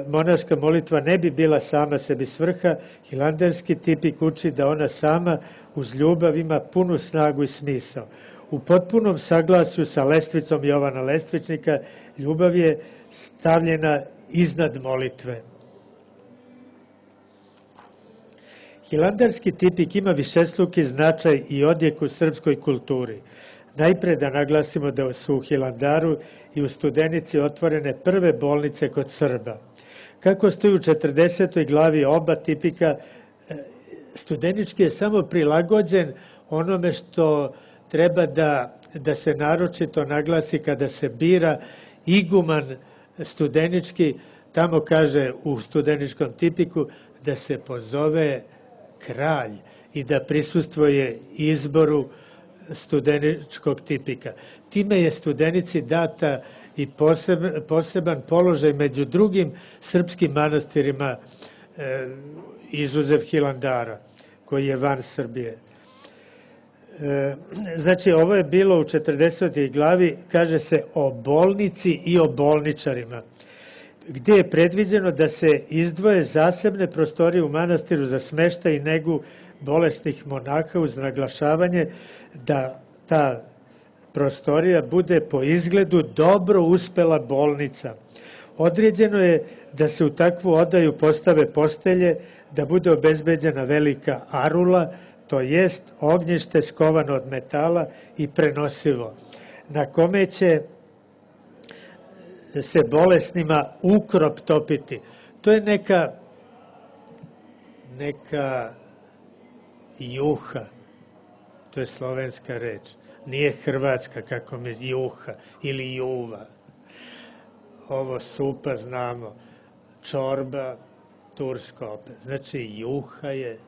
S5: monaška molitva ne bi bila sama sebi svrha, hilandarski tipik uči da ona sama uz ljubav ima punu snagu i smisao. U potpunom saglasju sa lestvicom Jovana Lestvičnika, ljubav je stavljena iznad molitve. Hilandarski tipik ima višestruki značaj i odjek u srpskoj kulturi. Najpre da naglasimo da su u Hilandaru i u Studenici otvorene prve bolnice kod Srba. Kako stoji u 40. glavi oba tipika, Studenički je samo prilagođen onome što treba da se naročito naglasi kada se bira iguman Studenički, tamo kaže u Studeničkom tipiku da se pozove kralj i da prisustvuje izboru Studeničkog tipika. Time je Studenici data i poseban položaj među drugim srpskim manastirima, izuzev Hilandara, koji je van Srbije. Znači, ovo je bilo u 40. glavi, kaže se o bolnici i o bolničarima, gdje je predviđeno da se izdvoje zasebne prostorije u manastiru za smeštaj i negu bolesnih monaha uz naglašavanje da ta prostorija bude po izgledu dobro uspela bolnica. Određeno je da se u takvu odaju postave postelje, da bude obezbeđena velika arula, to jest ognjište skovano od metala i prenosivo, na kome će se bolesnima ukrop topiti. To je neka juha, to je slovenska reč, nije hrvatska kako mi juha ili juva. Ovo supa znamo, čorba, turska opet. Znači juha je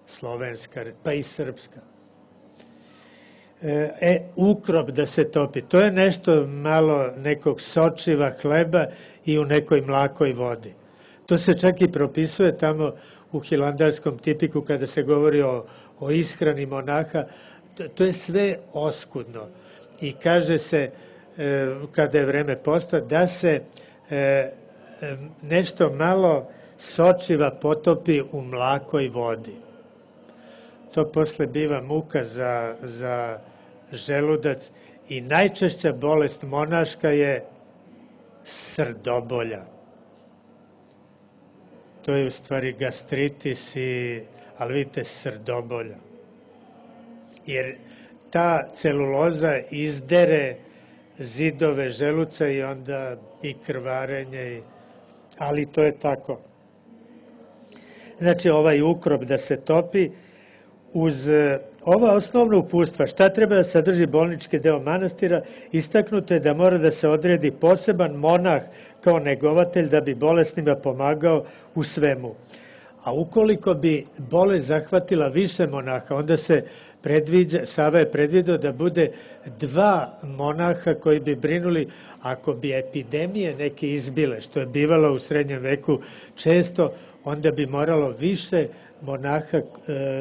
S5: slovenska reč, pa i srpska. Ukrop da se topi, to je nešto malo nekog sočiva hleba i u nekoj mlakoj vodi. To se čak i propisuje tamo u hilandarskom tipiku kada se govori o ishrani monaha, to je sve oskudno. I kaže se, kada je vreme posta, da se nešto malo sočiva potopi u mlakoj vodi. To posle biva muka za želudac i najčešća bolest monaška je srdobolja. To je u stvari gastritis, ali vidite, srdobolja. Jer ta celuloza izdere zidove želuca i onda i krvarenje, ali to je tako. Znači, ovaj ukrop da se topi, uz ova osnovna upustva, šta treba da sadrži bolnički deo manastira, istaknuto je da mora da se odredi poseban monah kao negovatelj da bi bolesnima pomagao u svemu. A ukoliko bi bolest zahvatila više monaha, onda se Sava je predvidio da bude 2 monaha koji bi brinuli ako bi epidemije neke izbile, što je bivalo u srednjem veku često, onda bi moralo više monaha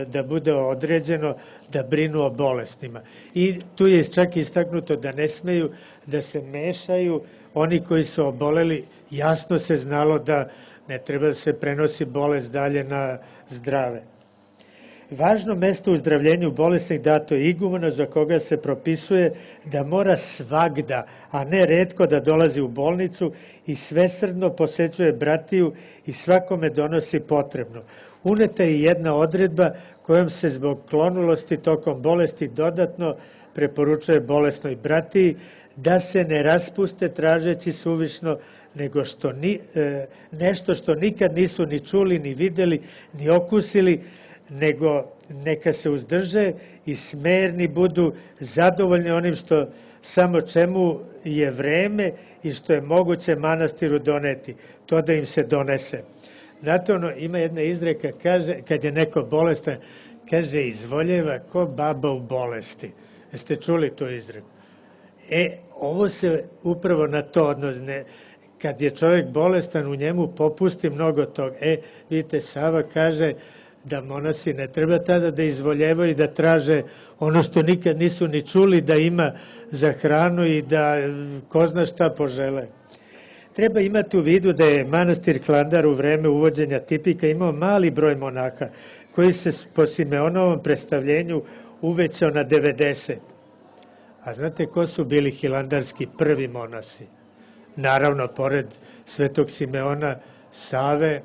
S5: da bude određeno da brinu o bolestima. I tu je čak istaknuto da ne smeju da se mešaju oni koji su oboleli, jasno se znalo da ne treba da se prenosi bolest dalje na zdrave. Važno mesto u zdravljenju bolesnih dato je igumena, za koga se propisuje da mora svagda, a ne retko, da dolazi u bolnicu i svesrdno posećuje bratiju i svakome donosi potrebno. Uneta je jedna odredba kojom se zbog klonulosti tokom bolesti dodatno preporučuje bolesnoj bratiji da se ne raspuste tražeći suvišno nego nešto što nikad nisu ni čuli, ni videli, ni okusili, nego neka se uzdrže i smerni budu, zadovoljni onim što samo čemu je vreme i što je moguće manastiru doneti, to da im se donese. Znate, ima jedna izreka, kaže, kad je neko bolestan, kaže, izvoljeva ko baba u bolesti. Jeste čuli tu izreku? Ovo se upravo na to odnosi. Kad je čovjek bolestan, u njemu popusti mnogo toga. Vidite, Sava kaže da monasi ne treba tada da izvoljevaju i da traže ono što nikad nisu ni čuli da ima za hranu i da ko zna šta požele. Treba imati u vidu da je manastir Hilandar u vreme uvođenja tipika imao mali broj monaha koji se po Simeonovom predstavljenju uvećao na 90. A znate ko su bili hilandarski prvi monasi? Naravno, pored svetog Simeona, Save,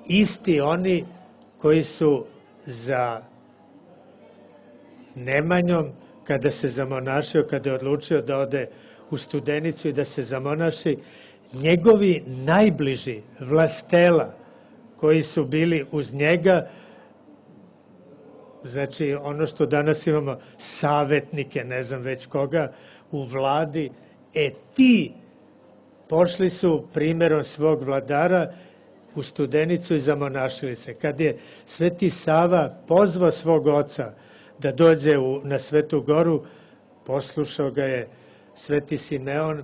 S5: isti oni koji su za Nemanjom, kada se zamonašio, kada je odlučio da ode u Studenicu i da se zamonaši, njegovi najbliži vlastela koji su bili uz njega, znači ono što danas imamo savetnike, ne znam već koga, u vladi, ti pošli su primjerom svog vladara u Studenicu i zamonašili se. Kad je Sveti Sava pozvao svog oca da dođe na Svetu Goru, poslušao ga je Sveti Simeon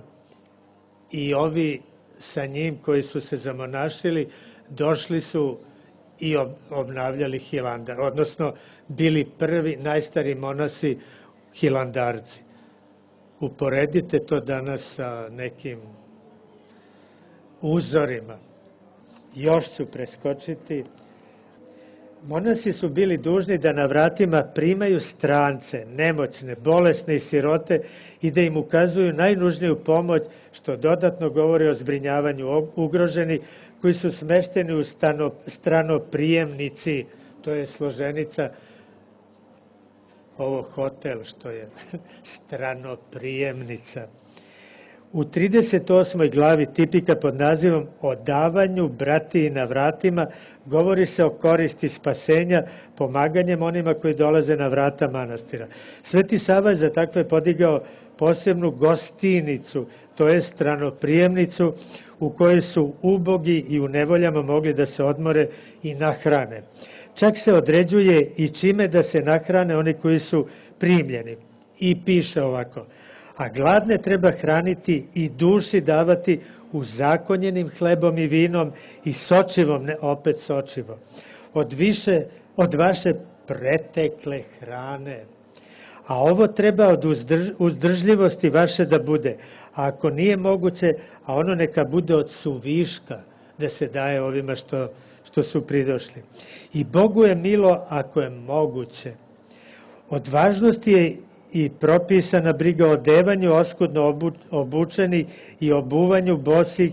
S5: i ovi sa njim koji su se zamonašili došli su i obnavljali Hilandar, odnosno bili prvi najstariji monasi hilandarci. Uporedite to danas sa nekim uzorima. Još ću preskočiti. Monasi su bili dužni da na vratima primaju strance, nemoćne, bolesne i sirote i da im ukazuju najnužniju pomoć, što dodatno govori o zbrinjavanju ugroženi koji su smešteni u stranoprijemnici. To je složenica, ovo hotel što je stranoprijemnica. U 38. glavi tipika pod nazivom O davanju bratiji na vratima govori se o koristi spasenja pomaganjem onima koji dolaze na vrata manastira. Sveti Sava je za takve podigao posebnu gostinicu, to je stranoprijemnicu u kojoj su ubogi i u nevoljama mogli da se odmore i nahrane. Čak se određuje i čime da se nahrane oni koji su primljeni. I piše ovako: a gladne treba hraniti i duši davati uzakonjenim hlebom i vinom i sočivom, ne opet sočivo, od vaše pretekle hrane. A ovo treba od uzdržljivosti vaše da bude, a ako nije moguće, a ono neka bude od suviška, da se daje ovima što su pridošli. I Bogu je milo ako je moguće. Od važnosti je i propisana briga o odevanju oskudno obučeni i obuvanju bosih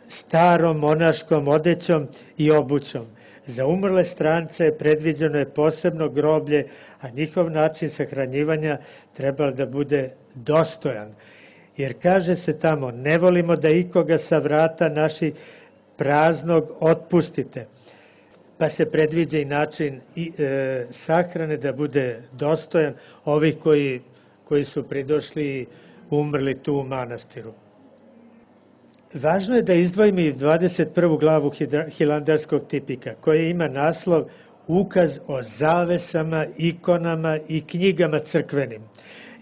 S5: starom monaškom odećom i obućom. Za umrle strance predviđeno je posebno groblje, a njihov način sahranjivanja treba da bude dostojan. Jer kaže se tamo, ne volimo da ikoga sa vrata naši praznog otpustite. Pa se predviđa i način sahrane da bude dostojan ovih koji su pridošli i umrli tu u manastiru. Važno je da izdvojimo i 21. glavu hilandarskog tipika, koja ima naslov Ukaz o zavesama, ikonama i knjigama crkvenim.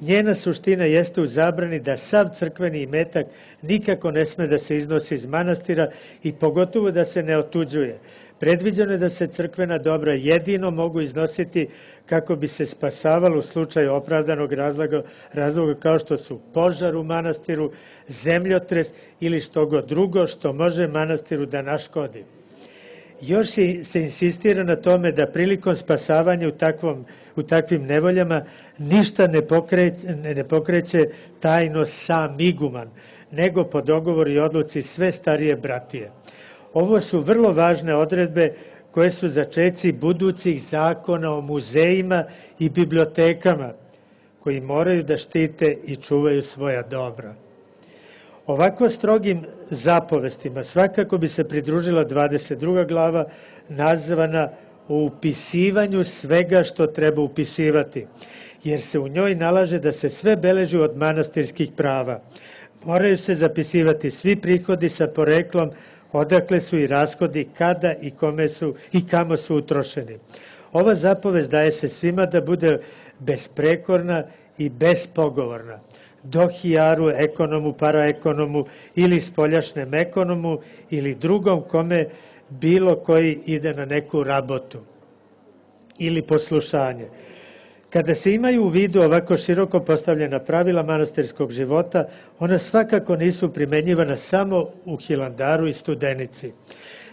S5: Njena suština jeste u zabrani da sav crkveni imetak nikako ne sme da se iznosi iz manastira i pogotovo da se ne otuđuje. Predviđeno je da se crkvena dobra jedino mogu iznositi kako bi se spasavalo u slučaju opravdanog razloga kao što su požar u manastiru, zemljotres ili što god drugo što može manastiru da naškodi. Još se insistira na tome da prilikom spasavanja u takvim nevoljama ništa ne pokreće tajno sam iguman, nego po dogovoru i odluci sve starije bratije. Ovo su vrlo važne odredbe koje su začeci budućih zakona o muzejima i bibliotekama, koji moraju da štite i čuvaju svoja dobra. Ovako strogim zapovestima svakako bi se pridružila 22. glava nazvana o upisivanju svega što treba upisivati, jer se u njoj nalaže da se sve beleži od manastirskih prava. Moraju se zapisivati svi prihodi sa poreklom, odakle su i rashodi, kada i kome su i kamo su utrošeni. Ova zapovest daje se svima da bude besprekorna i bespogovorna. Dohijaru, ekonomu, paraekonomu ili spoljašnem ekonomu ili drugom kome bilo koji ide na neku rabotu ili poslušanje. Kada se imaju u vidu ovako široko postavljena pravila manastirskog života, ona svakako nisu primenjivana samo u Hilandaru i Studenici,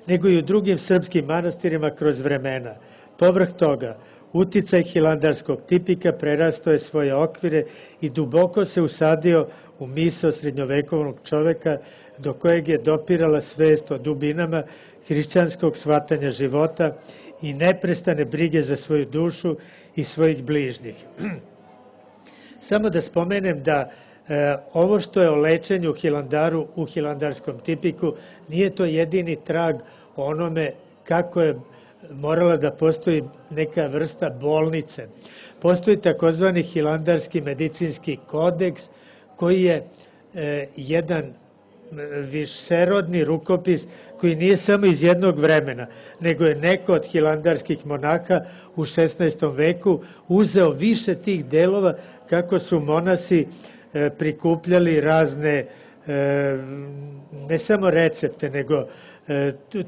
S5: nego i u drugim srpskim manastirima kroz vremena. Povrh toga, uticaj hilandarskog tipika prerastao je svoje okvire i duboko se usadio u misao srednjovekovnog čoveka, do kojeg je dopirala svest o dubinama hrišćanskog shvatanja života i neprestane brige za svoju dušu i svojih bližnjih. Samo da spomenem da ovo što je o lečenju u Hilandaru, u hilandarskom tipiku, nije to jedini trag o onome kako je morala da postoji neka vrsta bolnice. Postoji takozvani hilandarski medicinski kodeks, koji je jedan višerodni rukopis koji nije samo iz jednog vremena, nego je neko od hilandarskih monaka u 16. veku uzeo više tih delova kako su monasi prikupljali razne, ne samo recepte, nego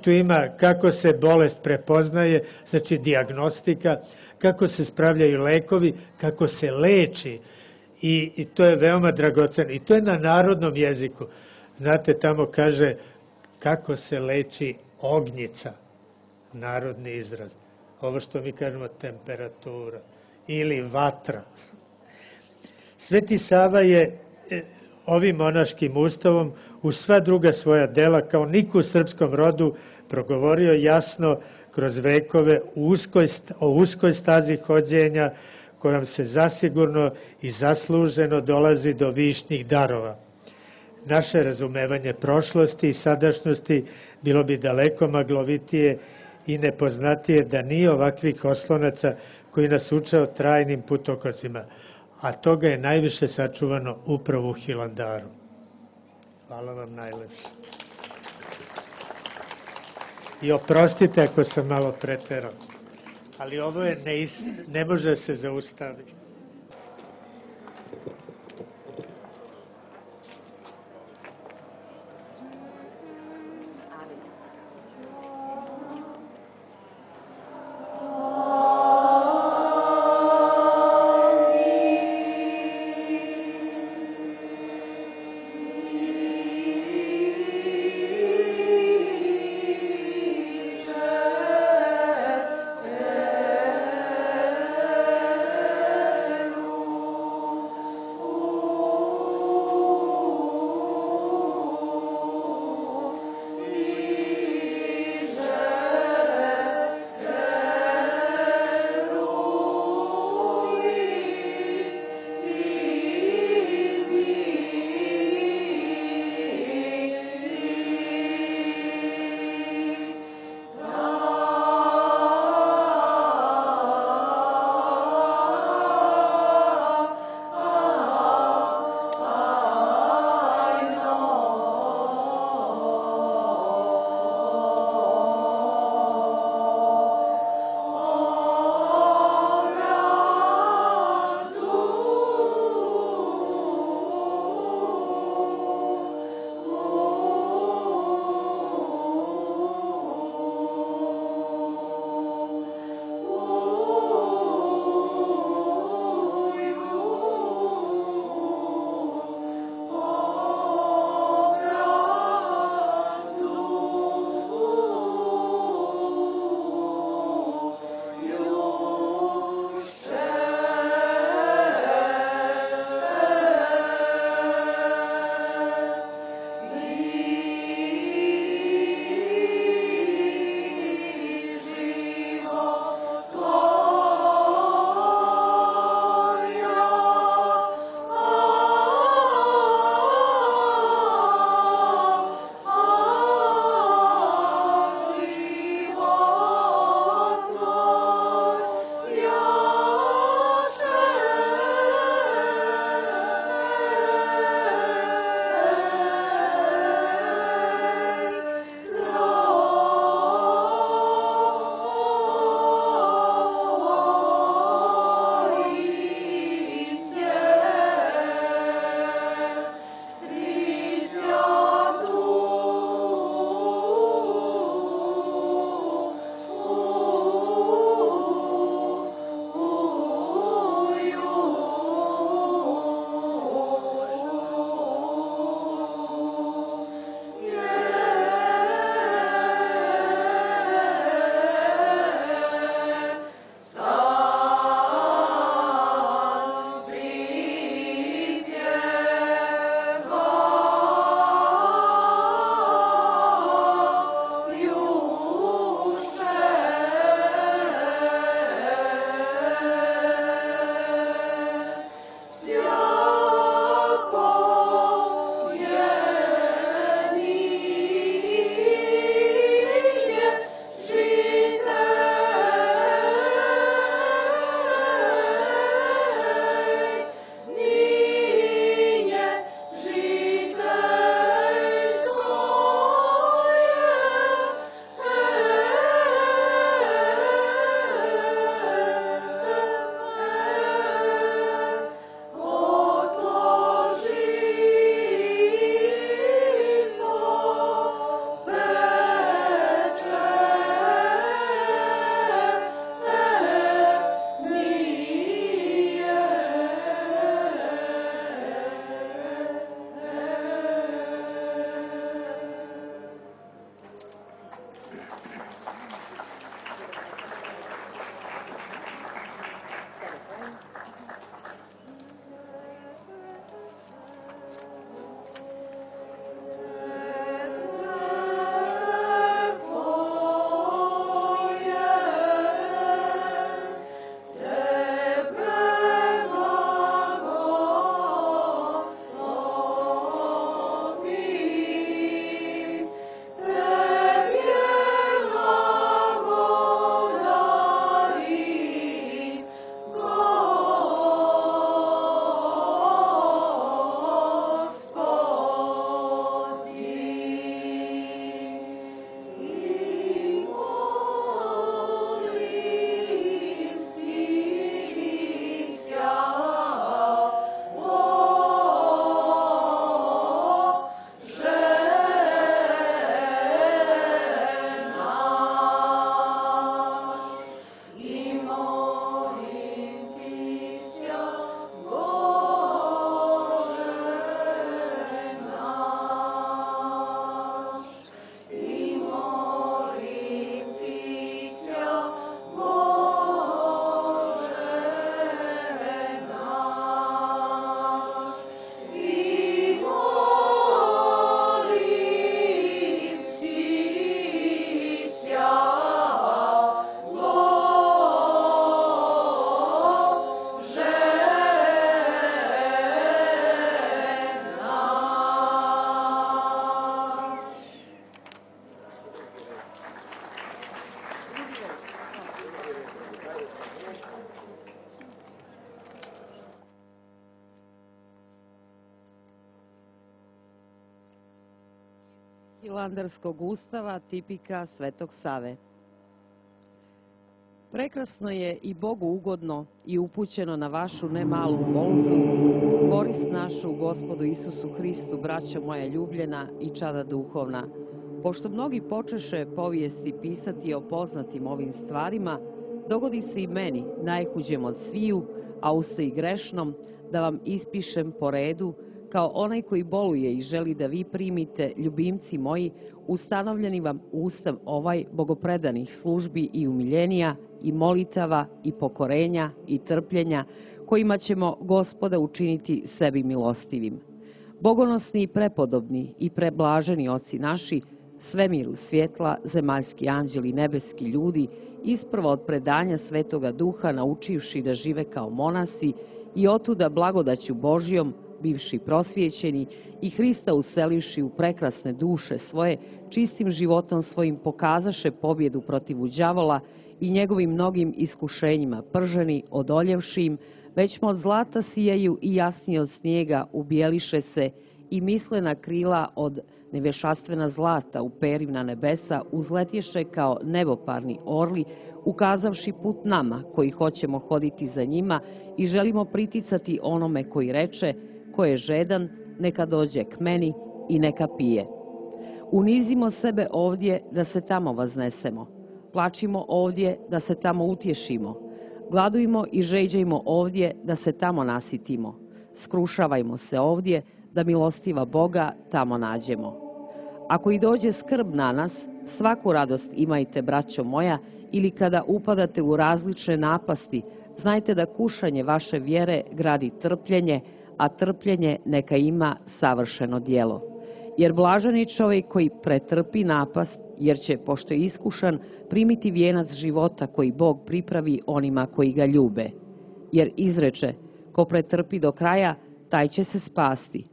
S5: tu ima kako se bolest prepoznaje, znači dijagnostika, kako se spravljaju lekovi, kako se leči i to je veoma dragoceno. I to je na narodnom jeziku. Znate, tamo kaže kako se leči ognjica, narodni izraz. Ovo što mi kažemo temperatura ili vatra. Sveti Sava je ovim monaškim ustavom u sva druga svoja dela kao niko u srpskom rodu progovorio jasno kroz vekove o uskoj stazi hođenja kojom se zasigurno i zasluženo dolazi do višnjih darova. Naše razumevanje prošlosti i sadašnjosti bilo bi daleko maglovitije i nepoznatije da nije ovakvih oslonaca koji nas uče o trajnim putokazima, a toga je najviše sačuvano upravo u Hilandaru. Hvala vam najlepše. I oprostite ako sam malo preterao, ali ovo je ne može se zaustaviti.
S3: Hilandarskog ustava, tipika Svetog Save. Prekrasno je i Bogu ugodno i upućeno na vašu nemalu molzu, korist našu Gospodu Isusu Hristu, braćo moja ljubljena i čada duhovna. Pošto mnogi počeše povijesti pisati o poznatim ovim stvarima, dogodi se i meni, najhuđem od sviju, a uste i grešnom, da vam ispišem po redu, kao onaj koji boluje i želi da vi primite, ljubimci moji, ustanovljeni vam ustav ovaj bogopredanih službi i umiljenija, i molitava, i pokorenja, i trpljenja, kojima ćemo Gospoda učiniti sebi milostivim. Bogonosni i prepodobni i preblaženi oci naši, svemiru svjetla, zemaljski anđeli, nebeski ljudi, isprvo od predanja Svetoga Duha naučivši da žive kao monasi i otuda blagodaću Božjom, bivši prosvjećeni i Hrista uselivši u prekrasne duše svoje, čistim životom svojim pokazaše pobjedu protiv đavola i njegovim mnogim iskušenjima prženi, odoljevši im, već od zlata sijaju i jasnije od snijega ubijeliše se i mislena krila od nevješaštvena zlata uperim na nebesa, uzletješe kao neboparni orli, ukazavši put nama koji hoćemo hoditi za njima i želimo priticati onome koji reče, ko je žedan, neka dođe k meni i neka pije. Unizimo sebe ovdje da se tamo vaznesemo, plačimo ovdje da se tamo utješimo, gladujmo i žeđajmo ovdje da se tamo nasitimo, skrušavajmo se ovdje da milostiva Boga tamo nađemo. Ako i dođe skrb na nas, svaku radost imajte, braćo moja, ili kada upadate u različne napasti, znajte da kušanje vaše vjere gradi trpljenje, a trpljenje neka ima savršeno djelo. Jer blažan je čovjek koji pretrpi napast, jer će, pošto je iskušan, primiti vijenac života koji Bog pripravi onima koji ga ljube. Jer izreče, ko pretrpi do kraja, taj će se spasti.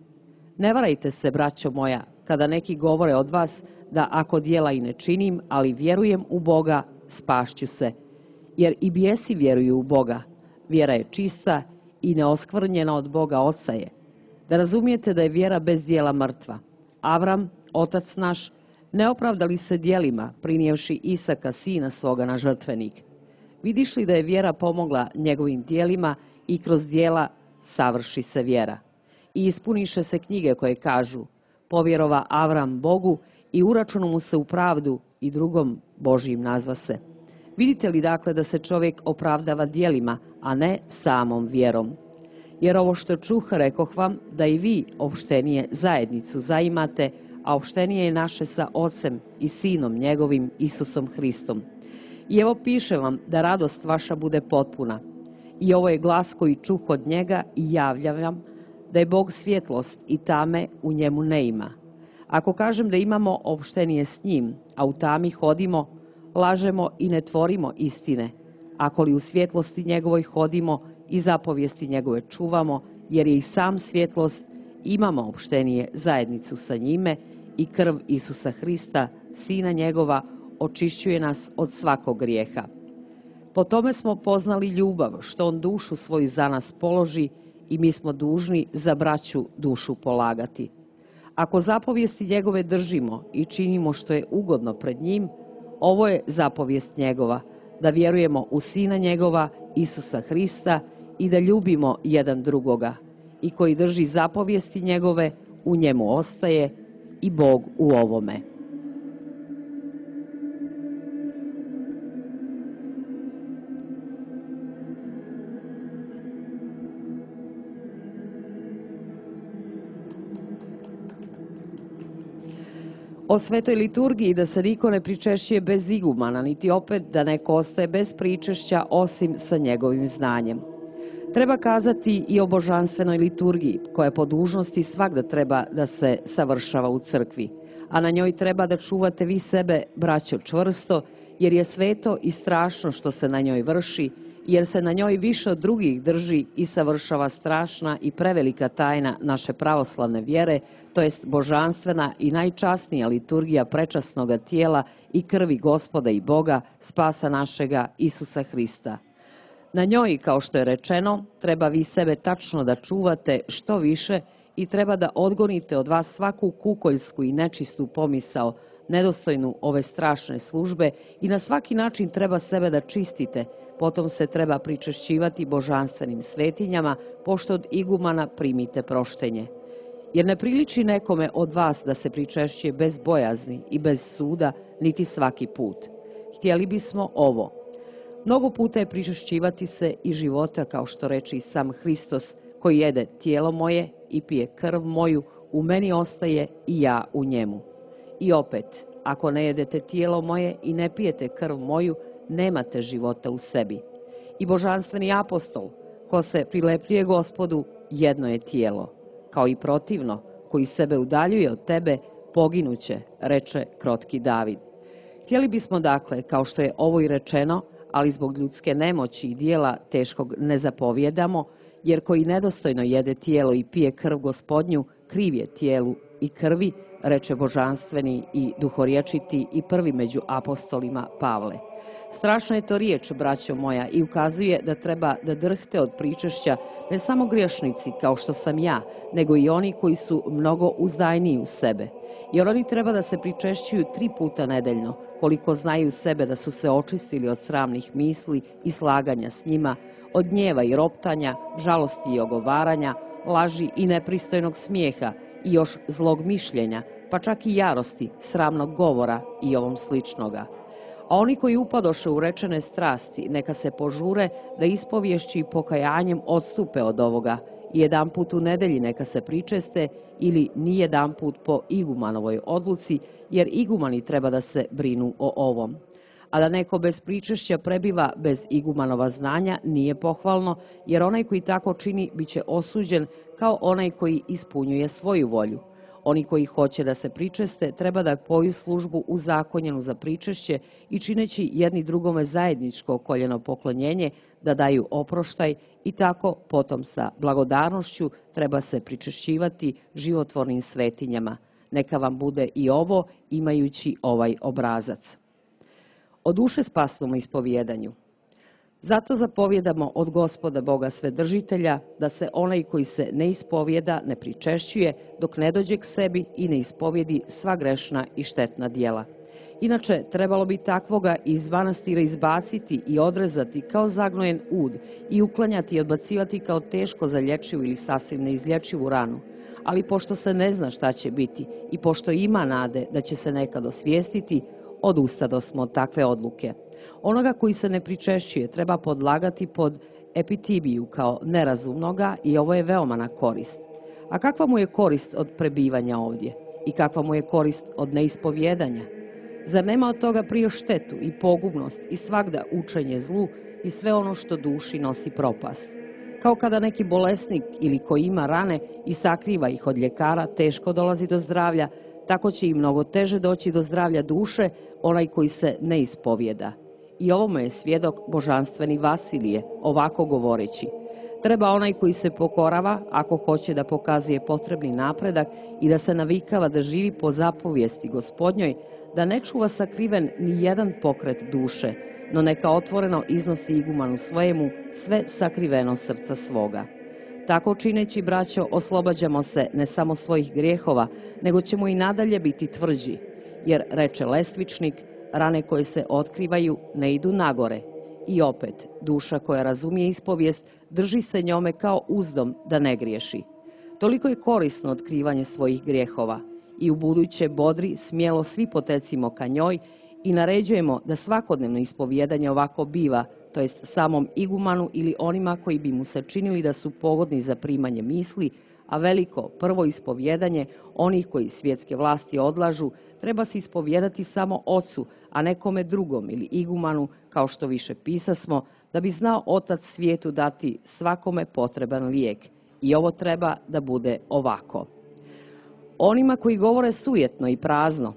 S3: Ne varajte se, braćo moja, kada neki govore od vas da ako djela i ne činim, ali vjerujem u Boga, spašću se. Jer i bijesi vjeruju u Boga. Vjera je čista i neoskvrnjena od Boga Oca je. Da razumijete da je vjera bez djela mrtva. Avram, otac naš, ne opravda li se djelima, prinijevši Isaka, sina svoga, na žrtvenik? Vidiš li da je vjera pomogla njegovim djelima i kroz djela savrši se vjera? I ispuniše se knjige koje kažu, povjerova Avram Bogu i uračunu mu se u pravdu i drugom Božijim nazva se. Vidite li dakle da se čovjek opravdava djelima, a ne samom vjerom? Jer ovo što čuh, rekoh vam, da i vi opštenije zajednicu zaimate, a opštenije je naše sa Ocem i Sinom njegovim, Isusom Hristom. I evo piše vam da radost vaša bude potpuna. I ovo je glas koji čuh od njega i javljam vam da je Bog svjetlost i tame u njemu ne ima. Ako kažem da imamo opštenije s njim, a u tami hodimo, lažemo i ne tvorimo istine. Ako li u svjetlosti njegovoj hodimo i zapovijesti njegove čuvamo, jer je i sam svjetlost, imamo opštenije zajednicu sa njime i krv Isusa Hrista, Sina njegova, očišćuje nas od svakog grijeha. Po tome smo poznali ljubav, što on dušu svoju za nas položi i mi smo dužni za braću dušu polagati. Ako zapovijesti njegove držimo i činimo što je ugodno pred njim, ovo je zapovijest njegova, da vjerujemo u Sina njegova, Isusa Hrista, i da ljubimo jedan drugoga. I koji drži zapovijesti njegove, u njemu ostaje i Bog u ovome. O svetoj liturgiji da se niko ne pričešćuje bez igumana, niti opet da neko ostaje bez pričešća osim sa njegovim znanjem. Treba kazati i o božanstvenoj liturgiji, koja po dužnosti svagda treba da se savršava u crkvi, a na njoj treba da čuvate vi sebe, braćo, čvrsto, jer je sveto i strašno što se na njoj vrši, jer se na njoj više od drugih drži i savršava strašna i prevelika tajna naše pravoslavne vjere, to jest božanstvena i najčasnija liturgija prečasnoga tijela i krvi Gospoda i Boga, spasa našega Isusa Hrista. Na njoj, kao što je rečeno, treba vi sebe tačno da čuvate što više i treba da odgonite od vas svaku kukoljsku i nečistu pomisao, nedostojnu ove strašne službe i na svaki način treba sebe da čistite, potom se treba pričešćivati božanstvenim svetinjama, pošto od igumana primite proštenje. Jer ne priliči nekome od vas da se pričešćuje bez bojazni i bez suda, niti svaki put. Htjeli bismo ovo. Mnogo puta je pričešćivati se i života, kao što reče i sam Hristos, koji jede tijelo moje i pije krv moju, u meni ostaje i ja u njemu. I opet, ako ne jedete tijelo moje i ne pijete krv moju, nemate života u sebi. I božanstveni apostol, ko se prilepljuje Gospodu, jedno je tijelo. Kao i protivno, koji sebe udaljuje od tebe, poginuće, reče krotki David. Htjeli bismo dakle, kao što je ovo i rečeno, ali zbog ljudske nemoći i dijela teškog ne zapovjedamo, jer koji nedostojno jede tijelo i pije krv Gospodnju, kriv je tijelu i krvi, reče božanstveni i duhorječiti i prvi među apostolima Pavle. Strašna je to riječ, braćo moja, i ukazuje da treba da drhte od pričešća ne samo griješnici kao što sam ja, nego i oni koji su mnogo uzdajniji u sebe. Jer oni treba da se pričešćuju 3 puta nedeljno, koliko znaju sebe da su se očistili od sramnih misli i slaganja s njima, od gnjeva i roptanja, žalosti i ogovaranja, laži i nepristojnog smijeha i još zlog mišljenja, pa čak i jarosti, sramnog govora i ovom sličnoga. A oni koji upadoše u rečene strasti, neka se požure da ispovješću i pokajanjem odstupe od ovoga i jedan put u nedelji neka se pričeste ili ni jedan put po igumanovoj odluci, jer igumani treba da se brinu o ovom. A da neko bez pričešća prebiva bez igumanova znanja nije pohvalno, jer onaj koji tako čini biće osuđen kao onaj koji ispunjuje svoju volju. Oni koji hoće da se pričeste treba da poju službu uzakonjenu za pričešće i čineći jedni drugome zajedničko koljeno poklonjenje da daju oproštaj i tako potom sa blagodarnošću treba se pričešćivati životvornim svetinjama. Neka vam bude i ovo imajući ovaj obrazac. O duše spasnom ispovjedanju. Zato zapovjedamo od Gospoda Boga Svedržitelja da se onaj koji se ne ispovjeda ne pričešćuje dok ne dođe k sebi i ne ispovjedi sva grešna i štetna djela. Inače, trebalo bi takvoga iz manastira izbaciti i odrezati kao zagnojen ud i uklanjati i odbacivati kao teško zalječivu ili sasvim neizlječivu ranu. Ali pošto se ne zna šta će biti i pošto ima nade da će se nekad osvijestiti, odustadosmo od takve odluke. Onoga koji se ne pričešćuje treba podlagati pod epitibiju kao nerazumnoga i ovo je veoma na korist. A kakva mu je korist od prebivanja ovdje? I kakva mu je korist od neispovjedanja? Zar nema od toga prije štetu i pogubnost i svagda učenje zlu i sve ono što duši nosi propast? Kao kada neki bolesnik ili koji ima rane i sakriva ih od ljekara teško dolazi do zdravlja, tako će i mnogo teže doći do zdravlja duše onaj koji se ne ispovjeda. I ovome je svjedok božanstveni Vasilije, ovako govoreći. Treba onaj koji se pokorava, ako hoće da pokazuje potrebni napredak i da se navikava da živi po zapovijesti Gospodnjoj, da ne čuva sakriven ni jedan pokret duše, no neka otvoreno iznosi igumanu svojemu sve sakriveno srca svoga. Tako čineći, braćo, oslobađamo se ne samo svojih grijehova, nego ćemo i nadalje biti tvrđi, jer, reče Lestvičnik, rane koje se otkrivaju ne idu nagore. I opet, duša koja razumije ispovijest drži se njome kao uzdom da ne griješi. Toliko je korisno otkrivanje svojih grijehova i u buduće bodri smjelo svi potecimo ka njoj i naređujemo da svakodnevno ispovjedanje ovako biva, to jest samom igumanu ili onima koji bi mu se činili da su pogodni za primanje misli, a veliko prvo ispovjedanje onih koji svjetske vlasti odlažu treba se ispovjedati samo ocu, a nekome drugom ili igumanu, kao što više pisasmo, da bi znao otac svijetu dati svakome potreban lijek. I ovo treba da bude ovako. Onima koji govore sujetno i prazno,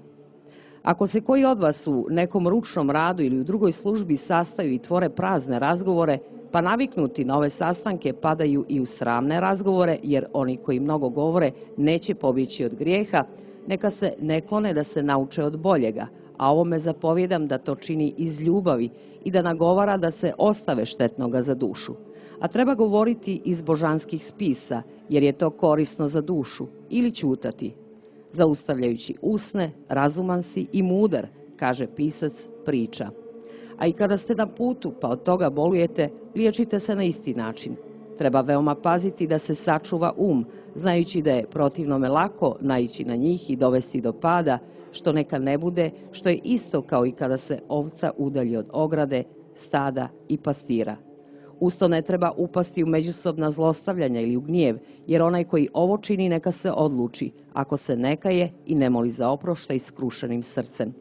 S3: ako se koji od vas u nekom ručnom radu ili u drugoj službi sastaju i tvore prazne razgovore, pa naviknuti na ove sastanke padaju i u sramne razgovore, jer oni koji mnogo govore neće pobjeći od grijeha, neka se ne klone da se nauče od boljega, a ovome zapovjedam da to čini iz ljubavi i da nagovara da se ostave štetnoga za dušu. a treba govoriti iz božanskih spisa, jer je to korisno za dušu, ili ćutati. Zaustavljajući usne, razuman si i mudar, kaže pisac priča. A i kada ste na putu, pa od toga bolujete, liječite se na isti način. Treba veoma paziti da se sačuva znajući da je protivnome lako naići na njih i dovesti do pada, što neka ne bude, što je isto kao i kada se ovca udalji od ograde, stada i pastira. Usto ne treba upasti u međusobna zlostavljanja ili u gnjev, jer onaj koji ovo čini neka se odluči, ako se ne kaje i ne moli za oproštaj skrušenim srcem.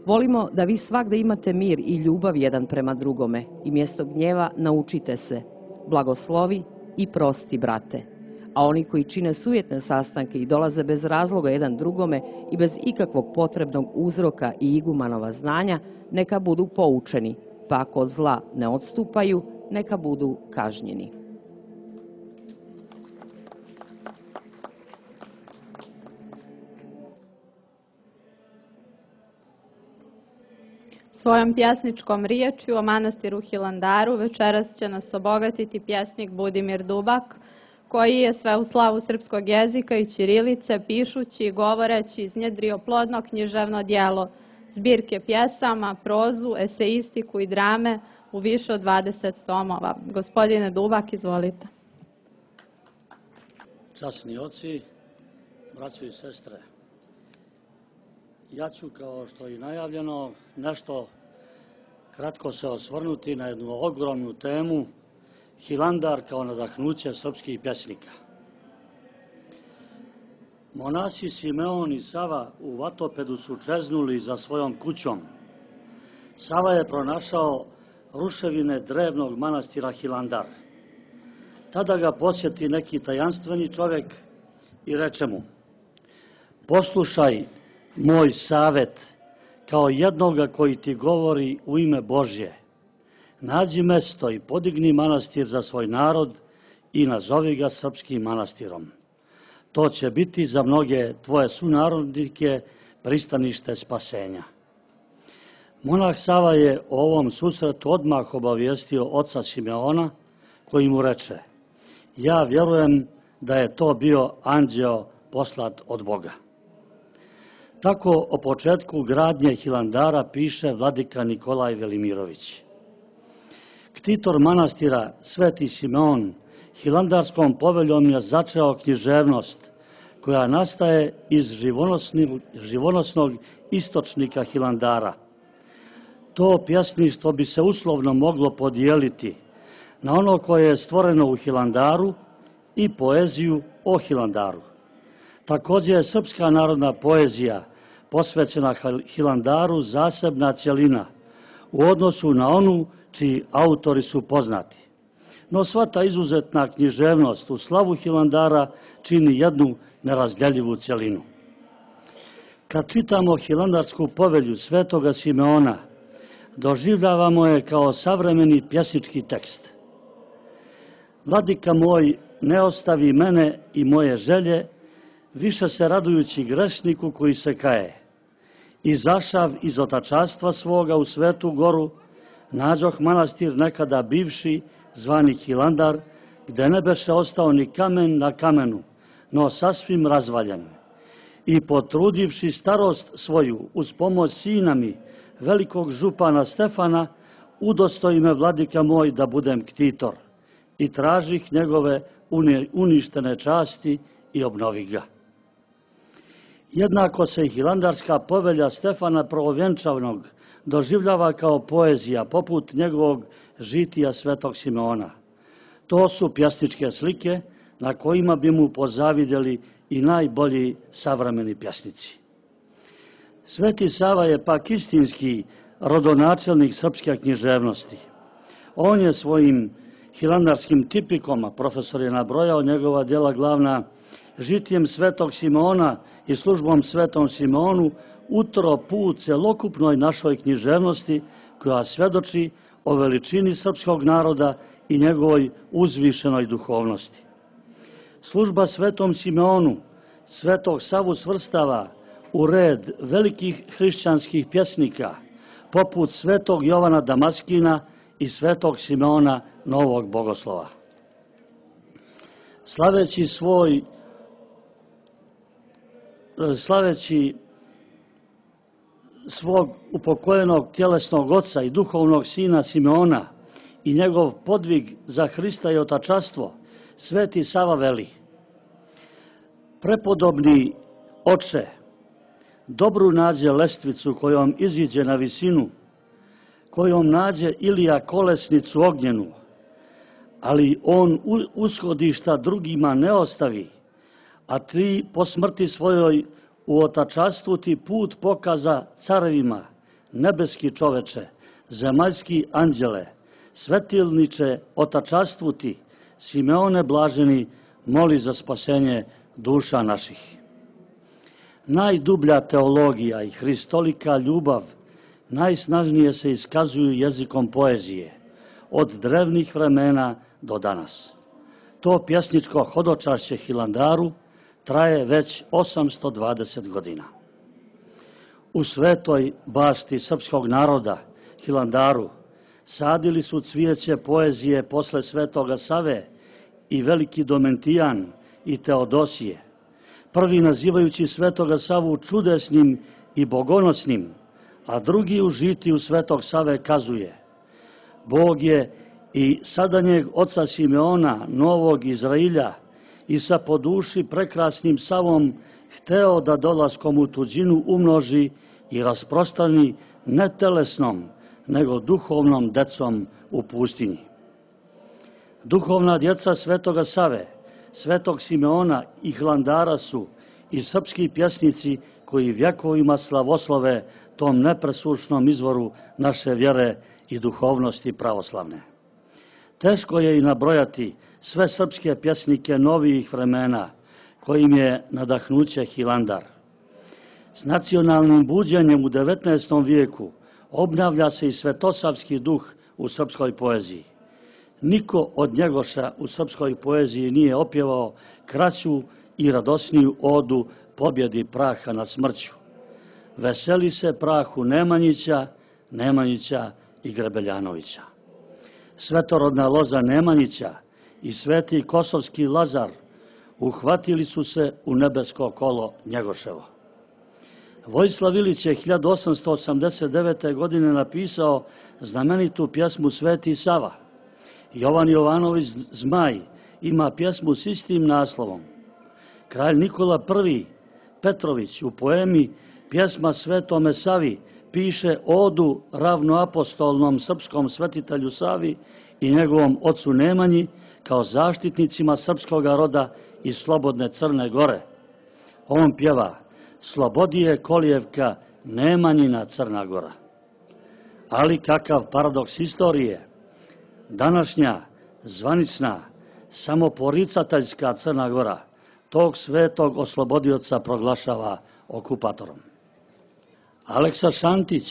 S3: Volimo da vi svagde imate mir i ljubav jedan prema drugome i mjesto gnjeva naučite se, blagoslovi i prosti, brate. A oni koji čine sujetne sastanke i dolaze bez razloga jedan drugome i bez ikakvog potrebnog uzroka i igumanova znanja, neka budu poučeni, pa ako od zla ne odstupaju, neka budu kažnjeni.
S4: Svojom pjesničkom riječju o manastiru Hilandaru večeras će nas obogatiti pjesnik Budimir Dubak, koji je sve u slavu srpskog jezika i ćirilice, pišući i govoreći iznjedrio plodno književno djelo, zbirke pjesama, prozu, eseistiku i drame u više od 20 tomova. Gospodine Dubak, izvolite.
S6: Časni oci, braćo i sestre, ja ću, kao što je najavljeno, nešto kratko se osvrnuti na jednu ogromnu temu, Hilandar kao nadahnuće srpskih pjesnika. Monasi Simeon i Sava u Vatopedu su čeznuli za svojom kućom. Sava je pronašao ruševine drevnog manastira Hilandar. Tada ga posjeti neki tajanstveni čovjek i reče mu: poslušaj moj savet kao jednoga koji ti govori u ime Božje. Nađi mesto i podigni manastir za svoj narod i nazovi ga srpskim manastirom. To će biti za mnoge tvoje sunarodnike pristanište spasenja. Monah Sava je o ovom susretu odmah obavijestio oca Simeona, koji mu reče: ja vjerujem da je to bio anđeo poslat od Boga. Tako o početku gradnje Hilandara piše vladika Nikolaj Velimirović. Ktitor manastira Sveti Simeon hilandarskom poveljom je začeo književnost koja nastaje iz živonosnog istočnika Hilandara. To pjesništvo bi se uslovno moglo podijeliti na ono koje je stvoreno u Hilandaru i poeziju o Hilandaru. Također je srpska narodna poezija posvećena Hilandaru zasebna cjelina u odnosu na onu čiji autori su poznati. No sva ta izuzetna književnost u slavu Hilandara čini jednu nerazdjeljivu cjelinu. Kad čitamo Hilandarsku povelju Svetoga Simeona, doživljavamo je kao savremeni pjesnički tekst. Vladika moj, ne ostavi mene i moje želje, više se radujući grešniku koji se kaje. Izašav iz otačastva svoga u Svetu goru, nađoh manastir nekada bivši, zvani Hilandar, gde ne beše ostao ni kamen na kamenu, no sasvim razvaljen. I potrudivši starost svoju uz pomoć sina mi, velikog župana Stefana, udostoji me vladika moj da budem ktitor i tražih njegove uništene časti i obnovi ga. Jednako se i Hilandarska povelja Stefana Prvovjenčavnog doživljava kao poezija poput njegovog žitija Svetog Simeona. To su pjesničke slike na kojima bi mu pozavidjeli i najbolji savremeni pjesnici. Sveti Sava je pak istinski rodonačelnik srpske književnosti. On je svojim hilandarskim tipikoma, profesor je nabrojao njegova djela glavna, žitijem Svetog Simeona i službom Svetom Simeonu, utro put celokupnoj našoj književnosti koja svjedoči o veličini srpskog naroda i njegovoj uzvišenoj duhovnosti. Služba Svetom Simeonu Svetog Savu svrstava u red velikih hrišćanskih pjesnika, poput Svetog Jovana Damaskina i svetog Simeona Novog Bogoslova. Slaveći svog upokojenog tjelesnog oca i duhovnog sina Simeona i njegov podvig za Hrista i otačastvo, Sveti Sava veli: prepodobni oče, dobru nađe lestvicu kojom iziđe na visinu, kojom nađe Ilija kolesnicu ognjenu, ali on ushodišta drugima ne ostavi, a ti po smrti svojoj u otačastvu ti put pokaza carevima, nebeski čoveče, zemaljski anđele, svetilniče otačastvu ti, Simeone blaženi, moli za spasenje duša naših. Najdublja teologija i hristolika ljubav najsnažnije se iskazuju jezikom poezije, od drevnih vremena do danas. To pjesničko hodočašće Hilandaru traje već 820 godina. U svetoj bašti srpskog naroda, Hilandaru, sadili su cvijeće poezije posle Svetoga Save i veliki Domentijan i Teodosije, prvi nazivajući Svetoga Savu čudesnim i bogonosnim, a drugi u žitiju Svetog Save kazuje: Bog je i sadanjeg oca Simeona, novog Izrailja, i sa po duši prekrasnim Savom hteo da dolaskom u tuđinu umnoži i rasprostrani ne telesnom, nego duhovnom decom u pustinji. Duhovna djeca Svetoga Save, Svetog Simeona i Hilandara su i srpski pjesnici koji vjekovima slavoslove tom nepresušnom izvoru naše vjere i duhovnosti pravoslavne. Teško je i nabrojati sve srpske pjesnike novijih vremena, kojim je nadahnuće Hilandar. S nacionalnim buđenjem u 19. vijeku obnavlja se i svetosavski duh u srpskoj poeziji. Niko od Njegoša u srpskoj poeziji nije opjevao kraću i radosniju odu pobjedi praha nad smrću. Veseli se prahu Nemanjića i Grebeljanovića. Svetorodna loza Nemanjića i sveti kosovski Lazar uhvatili su se u nebesko kolo Njegoševo. Vojislav Ilić je 1889. godine napisao znamenitu pjesmu Sveti Sava. Jovan Jovanović Zmaj ima pjesmu s istim naslovom. Kralj Nikola I Petrović u poemi Pjesma Svetome Savi piše odu ravnoapostolnom srpskom svetitelju Savi i njegovom ocu Nemanji kao zaštitnicima srpskoga roda i slobodne Crne Gore. On pjeva: Slobodije kolijevka, Nemanjina Crna Gora. Ali kakav paradoks istorije! Današnja, zvanična, samoporicateljska Crna Gora tog svetog oslobodioca proglašava okupatorom. Aleksa Šantić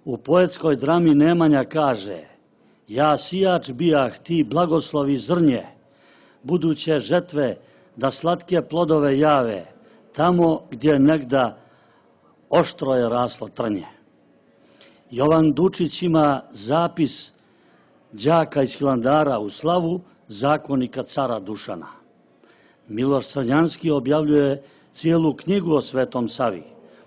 S6: u poetskoj drami Nemanja kaže: Ja sijač bijah, ti blagoslovi zrnje, buduće žetve da slatke plodove jave, tamo gdje negda oštro je raslo trnje. Jovan Dučić ima zapis đaka iz Hilandara u slavu zakonika cara Dušana. Miloš Crnjanski objavljuje cijelu knjigu o Svetom Savi,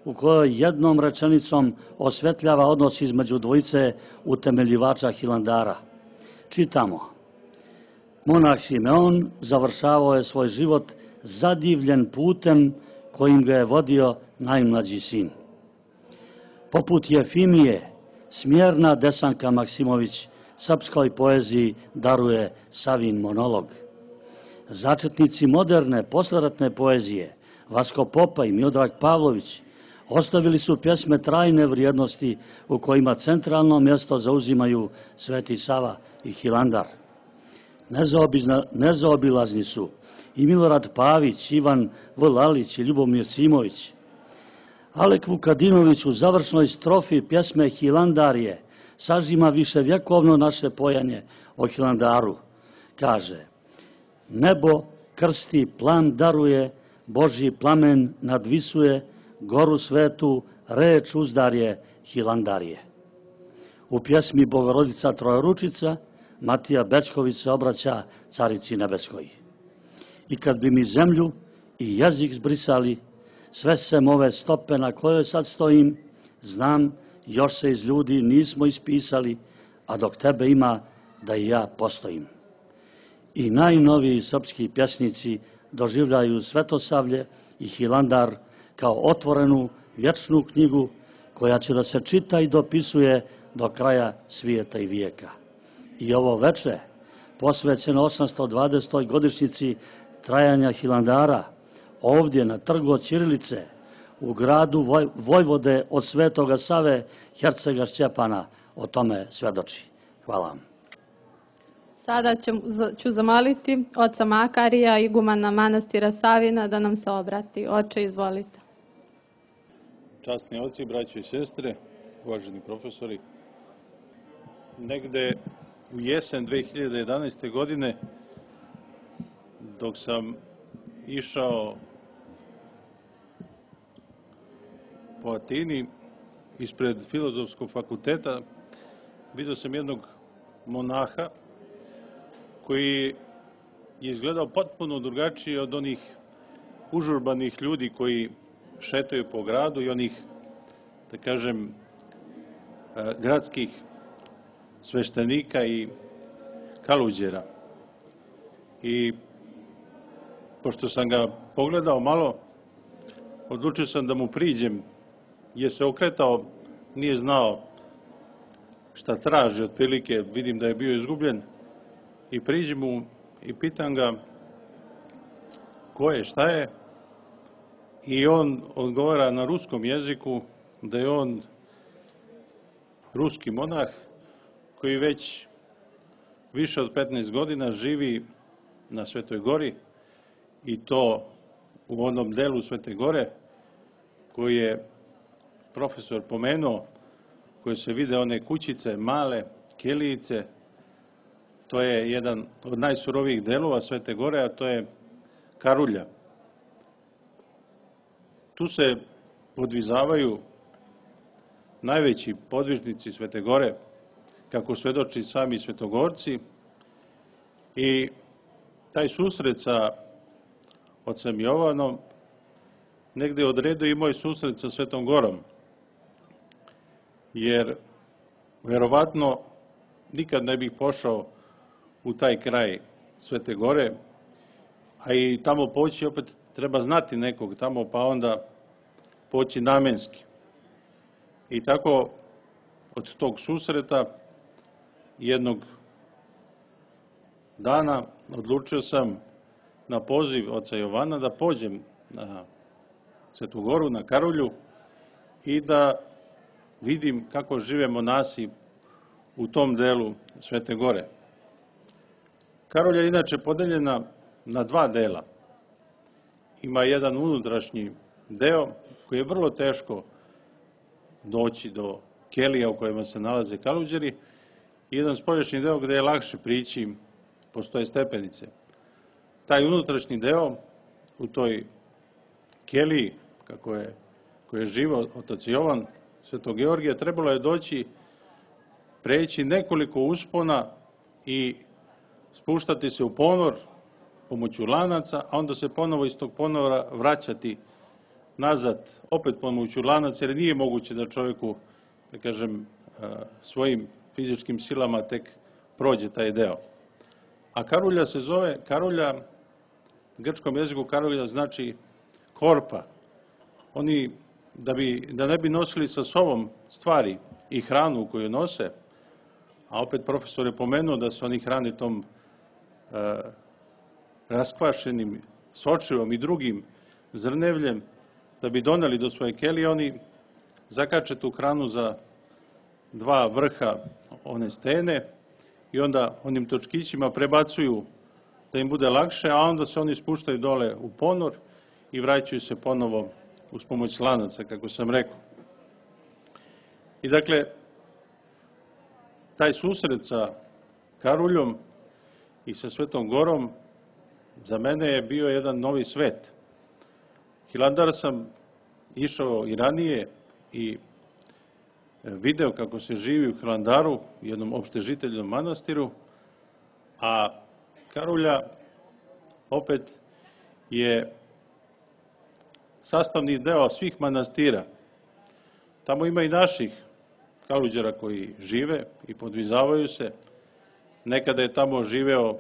S6: u kojoj jednom rečenicom osvetljava odnos između dvojice utemeljivača Hilandara. Čitamo: Monah Simeon završavao je svoj život zadivljen putem kojim ga je vodio najmlađi sin. Poput Jefimije, smjerna Desanka Maksimović srpskoj poeziji daruje Savin monolog. Začetnici moderne posleratne poezije, Vasko Popa i Miodrag Pavlović, ostavili su pjesme trajne vrijednosti u kojima centralno mjesto zauzimaju Sveti Sava i Hilandar. Nezaobilazni su i Milorad Pavić, Ivan Vlalić i Ljubomir Simović. Alek Vukadinović u završnoj strofi pjesme Hilandarije sažima viševjekovno naše pojanje o Hilandaru. Kaže: Nebo krsti, plan daruje, Božji plamen nadvisuje, goru svetu reč uzdarje Hilandarije. U pjesmi Bogorodica Trojeručica Matija Bećković se obraća Carici Nebeskoj. I kad bi mi zemlju i jezik zbrisali, sve sem ove stope na kojoj sad stojim, znam, još se iz ljudi nismo ispisali, a dok tebe ima, da i ja postojim. I najnoviji srpski pjesnici doživljaju Svetosavlje i Hilandar kao otvorenu vječnu knjigu koja će da se čita i dopisuje do kraja svijeta i vijeka. I ovo veče, posvećeno 820. godišnjici trajanja Hilandara, ovdje na trgu od Ćirilice, u gradu Vojvode od Svetoga Save, hercega Stjepana, o tome svedoči. Hvala vam.
S4: Sada ću zamoliti oca Makarija, igumana manastira Savina, da nam se obrati. Oče, izvolite.
S7: Časni oci, braćo i sestre, uvaženi profesori, negde u jesen 2011. godine, dok sam išao po Atini ispred Filozofskog fakulteta, vidio sam jednog monaha koji je izgledao potpuno drugačije od onih užurbanih ljudi koji šetaju po gradu i onih, da kažem, gradskih sveštenika i kaluđera. I pošto sam ga pogledao malo, odlučio sam da mu priđem, jer se okretao, nije znao šta traži, otprilike vidim da je bio izgubljen, i priđem mu i pitam ga ko je, šta je, i on odgovara na ruskom jeziku da je on ruski monah koji već više od 15 godina živi na Svetoj Gori, i to u onom delu Svete Gore koji je profesor pomenuo, koje se vide one kućice, male kelijice. To je jedan od najsurovijih delova Svete Gore, a to je Karulja. Tu se podvizavaju najveći podvižnici Svete Gore, kako svedoči sami svetogorci, i taj susret sa ocem Jovanom negde odredio i moj susret sa Svetom Gorom, jer verovatno nikad ne bih pošao u taj kraj Svete Gore, a i tamo poći opet treba znati nekog tamo, pa onda poći namenski. I tako od tog susreta jednog dana odlučio sam na poziv oca Jovana da pođem na Svetu Goru, na Karulju, i da vidim kako žive monasi u tom delu Svete Gore. Karulja je inače podeljena na dva dela. Ima jedan unutrašnji deo koji je vrlo teško doći do kelija u kojima se nalaze kaluđeri, i jedan spoljašnji deo gde je lakše prići, postoje stepenice. Taj unutrašnji deo u toj keliji, koji je živo otac Jovan Svetog Georgija, trebalo je doći, preći nekoliko uspona i spuštati se u ponor pomoću lanaca, a onda se ponovo iz tog ponora vraćati nazad, opet pomoću lanaca, jer nije moguće da čovjeku, da kažem, svojim fizičkim silama tek prođe taj deo. A Karulja se zove, Karulja, u grčkom jeziku Karulja znači korpa. Oni, da ne bi nosili sa sobom stvari i hranu koju nose, a opet profesor je pomenuo da se oni hrane tom raskvašenim sočivom i drugim zrnevljem, da bi doneli do svoje kelije, oni zakače tu hranu za dva vrha one stene i onda onim točkićima prebacuju da im bude lakše, a onda se oni spuštaju dole u ponor i vraćaju se ponovo uz pomoć lanaca, kako sam rekao. I dakle, taj susret sa Karuljom i sa Svetom Gorom za mene je bio jedan novi svet. Hilandar sam išao i ranije i video kako se živi u Hilandaru, jednom opštežiteljnom manastiru, a Karulja opet je sastavni deo svih manastira. Tamo ima i naših Karuđera koji žive i podvizavaju se. Nekada je tamo živeo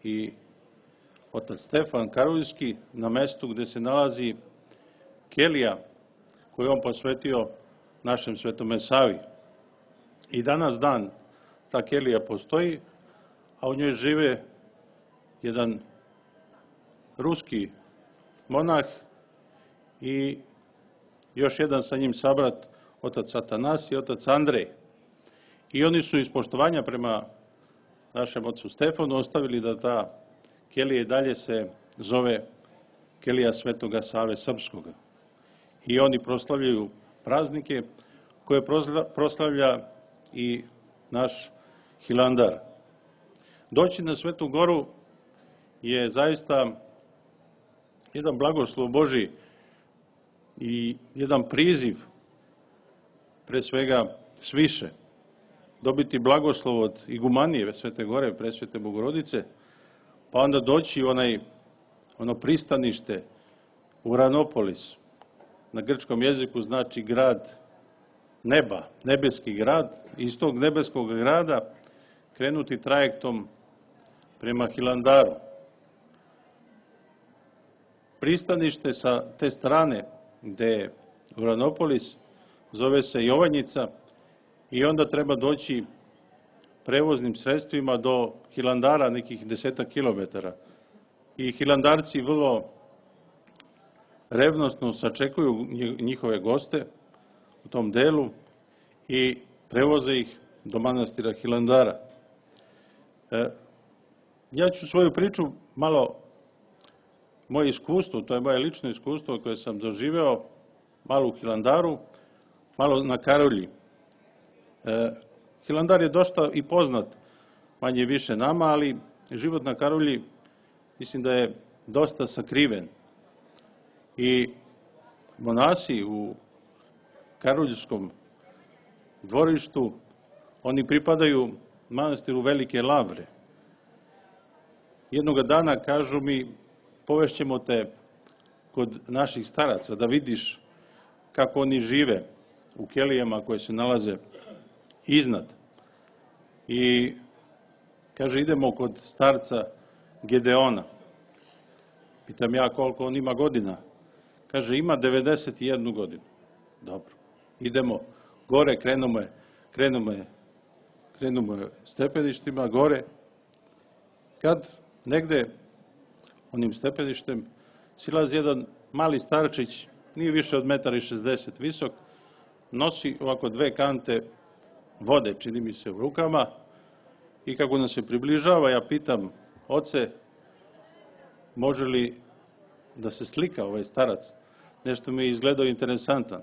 S7: i otac Stefan Karuljski na mestu gde se nalazi kelija koju on posvetio našem Svetome Savi. I danas dan ta kelija postoji, a u njoj žive jedan ruski monah i još jedan sa njim sabrat, otac Atanas i otac Andrej. I oni su iz poštovanja prema našem ocu Stefanu ostavili da ta kelija i dalje se zove kelija Svetoga Save Srpskoga. I oni proslavljaju praznike koje proslavlja i naš Hilandar. Doći na Svetu Goru je zaista jedan blagoslov Božji i jedan priziv, pre svega sviše, dobiti blagoslov od igumanije Svete Gore, Presvete Bogorodice, pa onda doći u ono pristanište Uranopolis. Na grčkom jeziku znači grad neba, nebeski grad. Iz tog nebeskog grada krenuti trajektom prema Hilandaru. Pristanište sa te strane gde je Uranopolis zove se Jovanjica i onda treba doći prevoznim sredstvima do Hilandara nekih 10 kilometara. I Hilandarci vrlo revnosno sačekuju njihove goste u tom delu i prevoze ih do manastira Hilandara. Ja ću svoju priču malo, moje iskustvo, to je moje lično iskustvo koje sam doživeo, malo u Hilandaru, malo na Karulji. Hilandar je dosta i poznat, manje više nama, ali život na Karulji mislim da je dosta sakriven. I monasi u karuljskom dvorištu, oni pripadaju manastiru Velike Lavre. Jednoga dana kažu mi, povešćemo te kod naših staraca da vidiš kako oni žive u kelijama koje se nalaze iznad. I kaže, idemo kod starca Gedeona. Pitam ja koliko on ima godina. Kaže, ima 91 godinu. Dobro, idemo gore, krenemo stepeništima gore. Kad negde onim stepeništem silazi jedan mali starčić, nije više od 1,60 m visok, nosi ovako 2 kante vode, čini mi se, u rukama, i kako nam se približava, ja pitam, oce, može li da se slika ovaj starac? Nešto mi je izgledao interesantan.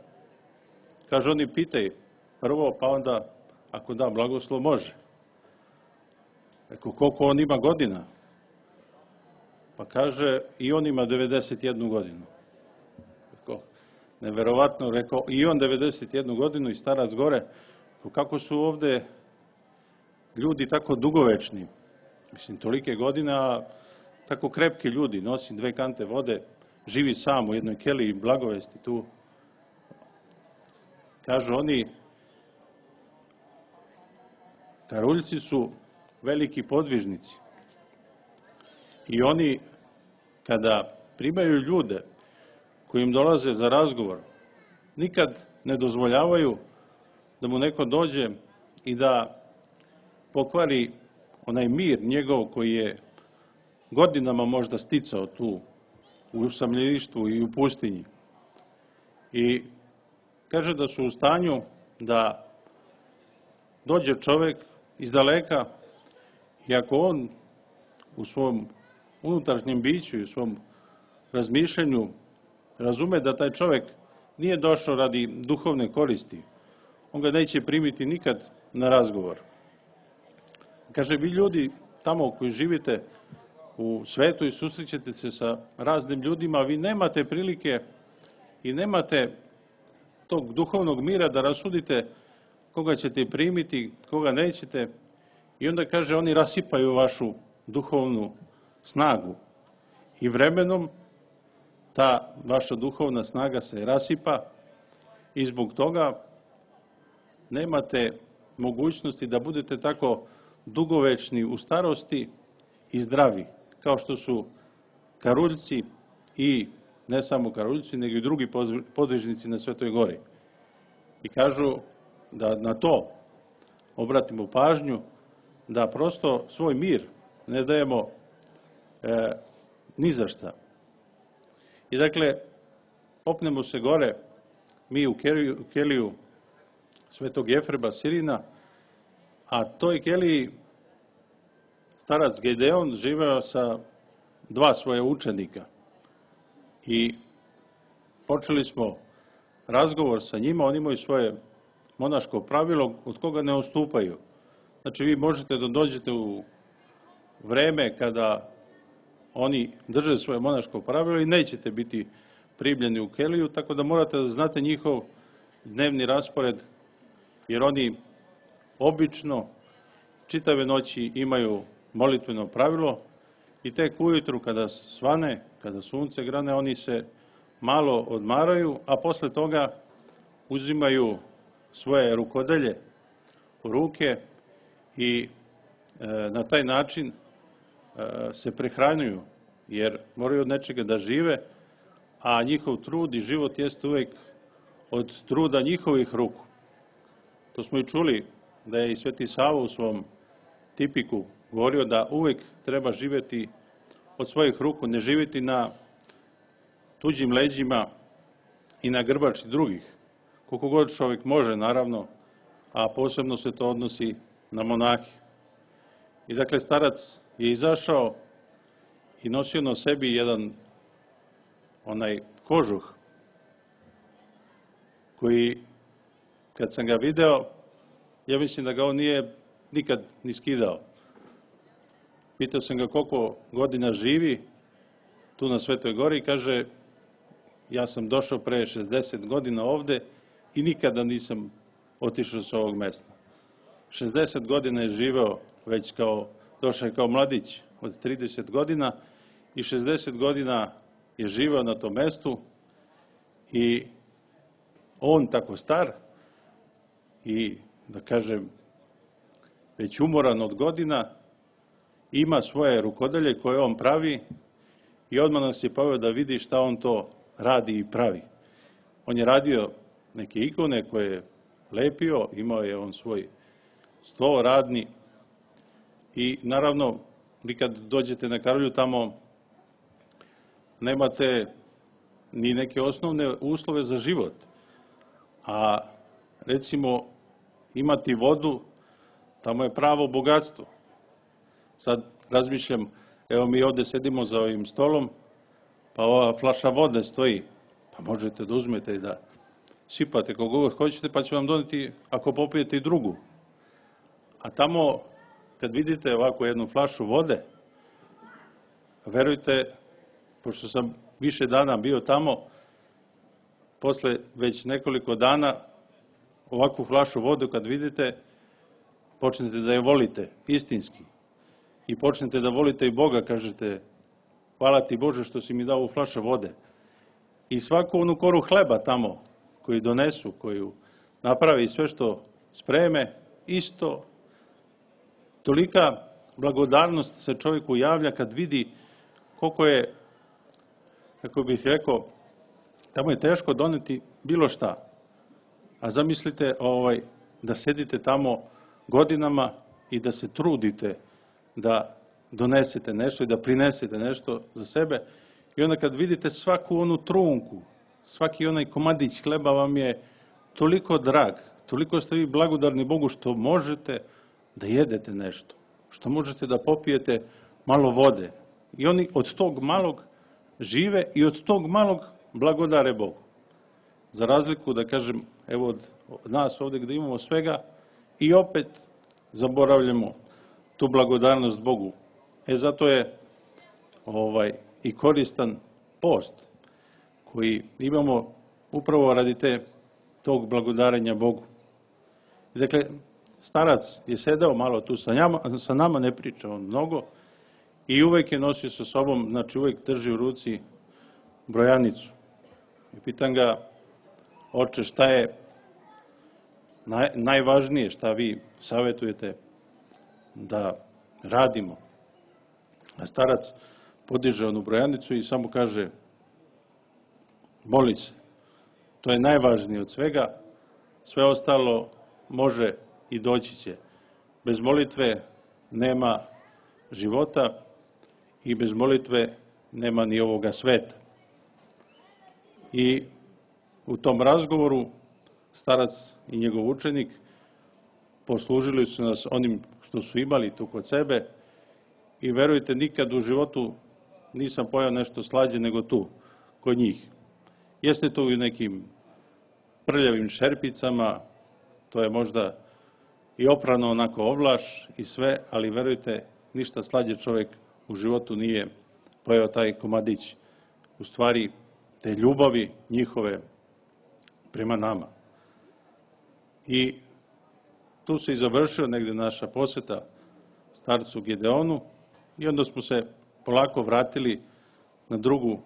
S7: Kaže, oni pitaj prvo, pa onda, ako da blagoslov, može. Rekao, koliko on ima godina? Pa kaže, i on ima 91 godinu. Rekao, neverovatno, rekao, i on 91 godinu i starac gore. Kako su ovde ljudi tako dugovečni? Mislim, tolike godine, a tako krepki ljudi, nosi 2 kante vode, živi sam u jednoj keliji, blagovesti tu. Kažu oni, Karuljci su veliki podvižnici. I oni, kada primaju ljude koji im dolaze za razgovor, nikad ne dozvoljavaju da mu neko dođe i da pokvari onaj mir njegov koji je godinama možda sticao tu u usamljeništvu i u pustinji. I kaže da su u stanju da dođe čovek iz daleka i ako on u svom unutrašnjem biću i u svom razmišljanju razume da taj čovek nije došao radi duhovne koristi, on ga neće primiti nikad na razgovor. Kaže, vi ljudi tamo koji živite u svetu i susrećete se sa raznim ljudima, vi nemate prilike i nemate tog duhovnog mira da rasudite koga ćete primiti, koga nećete. I onda kaže, oni rasipaju vašu duhovnu snagu. I vremenom ta vaša duhovna snaga se rasipa i zbog toga nemate mogućnosti da budete tako dugovečni u starosti i zdravi, kao što su karuljci i ne samo karuljci, nego i drugi podvižnici na Svetoj gori. I kažu da na to obratimo pažnju, da prosto svoj mir ne dajemo ni za šta. I dakle, popnemo se gore, mi u keliju Svetog Jefreba Sirina, a toj keliji starac Gedeon živeo sa 2 svoje učenika. I počeli smo razgovor sa njima, oni imaju svoje monaško pravilo od koga ne odstupaju. Znači, vi možete da dođete u vreme kada oni drže svoje monaško pravilo i nećete biti primljeni u keliju, tako da morate da znate njihov dnevni raspored, jer oni obično čitave noći imaju molitveno pravilo i tek ujutru kada svane, kada sunce grane, oni se malo odmaraju, a posle toga uzimaju svoje rukodelje u ruke i na taj način se prehranjuju, jer moraju od nečega da žive, a njihov trud i život jeste uvek od truda njihovih ruku. To smo i čuli da je i Sveti Sava u svom tipiku govorio da uvek treba živjeti od svojih ruku, ne živjeti na tuđim leđima i na grbači drugih. Koliko god čovjek može, naravno, a posebno se to odnosi na monahe. I dakle, starac je izašao i nosio na sebi jedan onaj kožuh koji, kad sam ga video, ja mislim da ga on nije nikad ni skidao. Pitao sam ga koliko godina živi tu na Svetoj gori i kaže, ja sam došao pre 60 godina ovde i nikada nisam otišao sa ovog mesta. 60 godina je živeo već došao je kao mladić od 30 godina i 60 godina je živeo na tom mestu i on tako star i, da kažem, već umoran od godina, ima svoje rukodelje koje on pravi i odmah nas je poveo da vidi šta on to radi i pravi. On je radio neke ikone koje je lepio, imao je on svoj sto radni i naravno vi kad dođete na Karolju tamo nemate ni neke osnovne uslove za život, a recimo imati vodu tamo je pravo bogatstvo. Sad razmišljam, evo mi ovde sedimo za ovim stolom, pa ova flaša vode stoji, pa možete da uzmete i da sipate koliko god hoćete, pa će vam doneti ako popijete i drugu. A tamo, kad vidite ovako jednu flašu vode, verujte, pošto sam više dana bio tamo, posle već nekoliko dana, ovakvu flašu vode kad vidite, počnete da je volite, istinski. I počnete da volite i Boga, kažete, hvala ti Bože što si mi dao ovu flašu vode. I svaku onu koru hleba tamo, koju donesu, koju napravi sve što spreme, isto, tolika blagodarnost se čovjeku javlja kad vidi koliko je, kako bih rekao, tamo je teško doneti bilo šta. A zamislite da sedite tamo godinama i da se trudite da donesete nešto i da prinesete nešto za sebe. I onda kad vidite svaku onu trunku, svaki onaj komadić hleba vam je toliko drag, toliko ste vi blagodarni Bogu što možete da jedete nešto, što možete da popijete malo vode. I oni od tog malog žive i od tog malog blagodare Bogu. Za razliku, da kažem, evo od nas ovde gde imamo svega i opet zaboravljamo tu blagodarnost Bogu. Zato je i koristan post koji imamo upravo radi tog blagodarenja Bogu. Dakle, starac je sedeo malo tu sa nama, ne priča on mnogo i uvek je nosio sa sobom, znači uvek drži u ruci brojanicu. I pitam ga, oče, šta je najvažnije, šta vi savjetujete da radimo? A starac podiže onu brojanicu i samo kaže, moli se. To je najvažnije od svega, sve ostalo može i doći će. Bez molitve nema života i bez molitve nema ni ovoga sveta. I u tom razgovoru starac i njegov učenik poslužili su nas onim što su imali tu kod sebe i verujte, nikad u životu nisam pojao nešto slađe nego tu, kod njih. Jeste to u nekim prljavim šerpicama, to je možda i oprano onako ovlaš i sve, ali verujte, ništa slađe čovjek u životu nije pojao taj komadić. U stvari, te ljubavi njihove prema nama. I tu se i završio negde naša poseta starcu Gedeonu i onda smo se polako vratili na drugu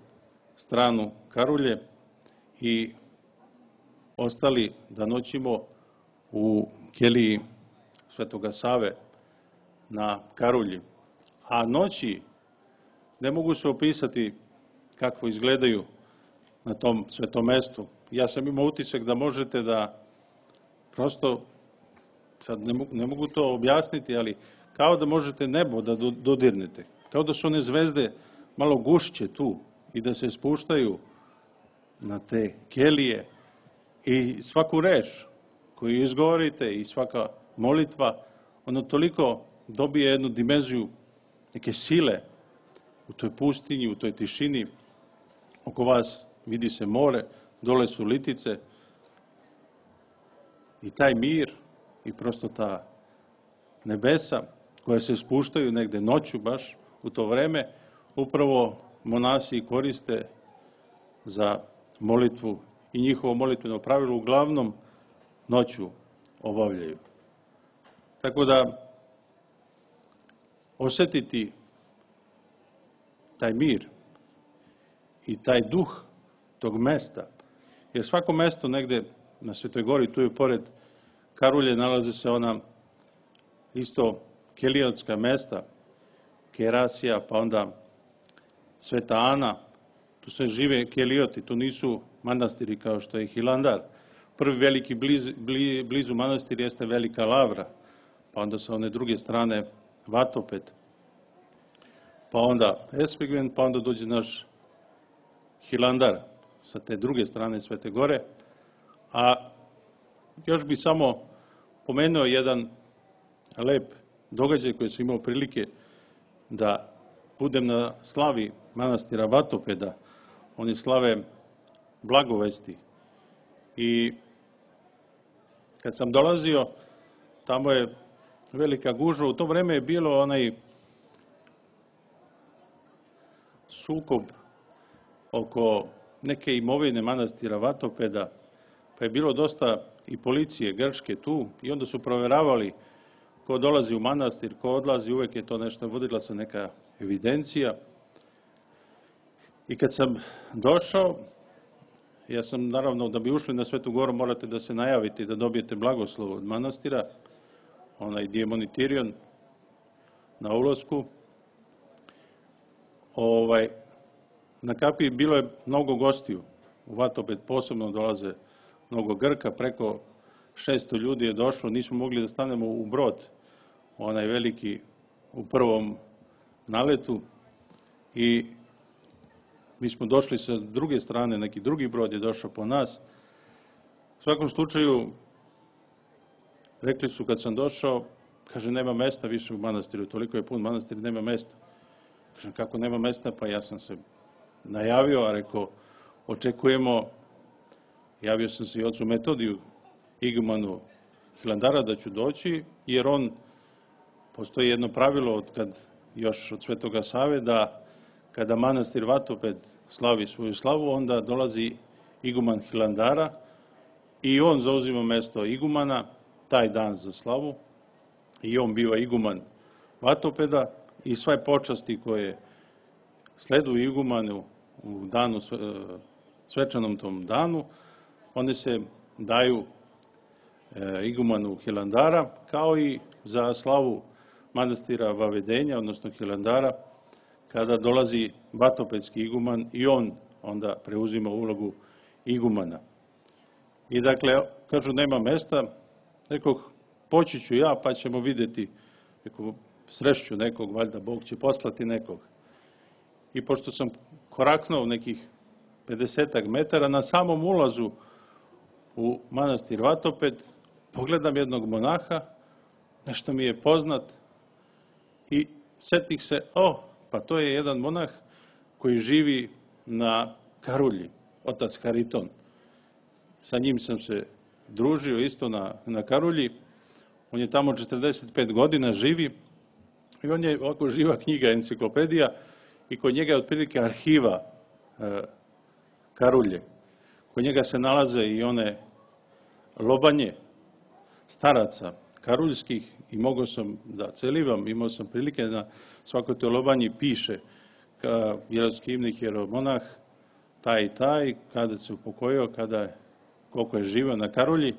S7: stranu Karulje i ostali da noćimo u keliji Svetoga Save na Karulji. A noći ne mogu se opisati kako izgledaju na tom svetom mestu. Ja sam imao utisak da možete da prosto, sad ne mogu to objasniti, ali kao da možete nebo da dodirnete. Kao da su one zvezde malo gušće tu i da se spuštaju na te kelije i svaku reč koju izgovorite i svaka molitva, ono toliko dobije jednu dimenziju neke sile u toj pustinji, u toj tišini. Oko vas vidi se more, dole su litice i taj mir i prosto ta nebesa koja se spuštaju negde noću baš u to vreme, upravo monasi koriste za molitvu i njihovo molitveno pravilo uglavnom noću obavljaju. Tako da osjetiti taj mir i taj duh tog mesta, jer svako mesto negde na Svetoj gori, tu je pored Karulje, nalaze se ona isto kelijotska mesta, Kerasija, pa onda Sveta Ana, tu se žive kelijoti, tu nisu manastiri kao što je Hilandar. Prvi veliki blizu manastir jeste Velika Lavra, pa onda sa one druge strane Vatoped, pa onda Espigven, pa onda dođe naš Hilandar sa te druge strane Svete gore. A još bi samo pomenuo jedan lep događaj koji sam imao prilike da budem na slavi manastira Vatopeda. Oni slave blagovesti. I kad sam dolazio, tamo je velika gužva. U to vreme je bilo onaj sukob oko neke imovine manastira Vatopeda, pa je bilo dosta i policije grčke tu i onda su proveravali ko dolazi u manastir, ko odlazi, uvek je to nešto, vodila se neka evidencija. I kad sam došao, ja sam naravno, da bi ušli na Svetu goru, morate da se najavite i da dobijete blagoslov od manastira, onaj Diemonitirion na ulasku. Na kapiji bilo je mnogo gostiju. U Vatoped posebno dolaze mnogo Grka, preko 600 ljudi je došlo, nismo mogli da stanemo u brod, onaj veliki u prvom naletu i mi smo došli sa druge strane, neki drugi brod je došao po nas. U svakom slučaju, rekli su kad sam došao, kaže, nema mesta više u manastiru, toliko je pun manastir, nema mesta. Kažem, kako nema mesta? Pa ja sam se najavio, a rekao, očekujemo, javio sam se i ocu Metodiju, igumanu Hilandara, da ću doći, jer postoji jedno pravilo još od Svetoga Save, da kada manastir Vatoped slavi svoju slavu, onda dolazi iguman Hilandara i on zauzima mesto igumana taj dan za slavu i on biva iguman Vatopeda i sve počasti koje sleduju igumanu u danu, svečanom tom danu, one se daju igumanu Hilandara, kao i za slavu manastira Vavedenja, odnosno Hilandara, kada dolazi vatopedski iguman i on onda preuzima ulogu igumana. I dakle, kažu, nema mesta, nekoh, poći ću ja, pa ćemo vidjeti, srešću nekog, valjda Bog će poslati nekog. I pošto sam koraknuo nekih 50 metara, na samom ulazu u manastir Vatoped, pogledam jednog monaha, nešto mi je poznat, i setih se, pa to je jedan monah koji živi na Karulji, otac Hariton. Sa njim sam se družio isto na Karulji, on je tamo 45 godina živi i on je ovako živa knjiga, enciklopedija, i kod njega je otprilike arhiva Karulje. Kod njega se nalaze i one lobanje staraca karuljskih i mogao sam da celivam, imao sam prilike da svakoj toj lobanji piše jeroskimnik, jeromonah, taj i taj, kada se upokojio, koliko je živio na Karulji,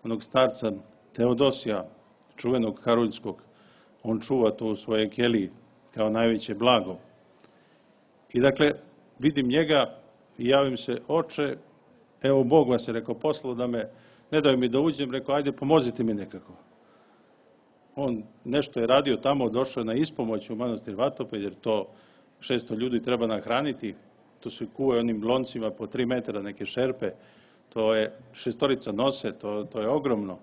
S7: onog starca Teodosija, čuvenog karuljskog, on čuva to u svojoj keliji kao najveće blago. I dakle, vidim njega i javim se, oče, evo Bog vas je, rekao, poslao da me, ne daju mi da uđem, rekao, ajde pomozite mi nekako. On nešto je radio tamo, došao na ispomoć u manastir Vatoped, jer to 600 ljudi treba nahraniti, to se kuje onim loncima po 3 metra neke šerpe, to je 6 nose, to je ogromno.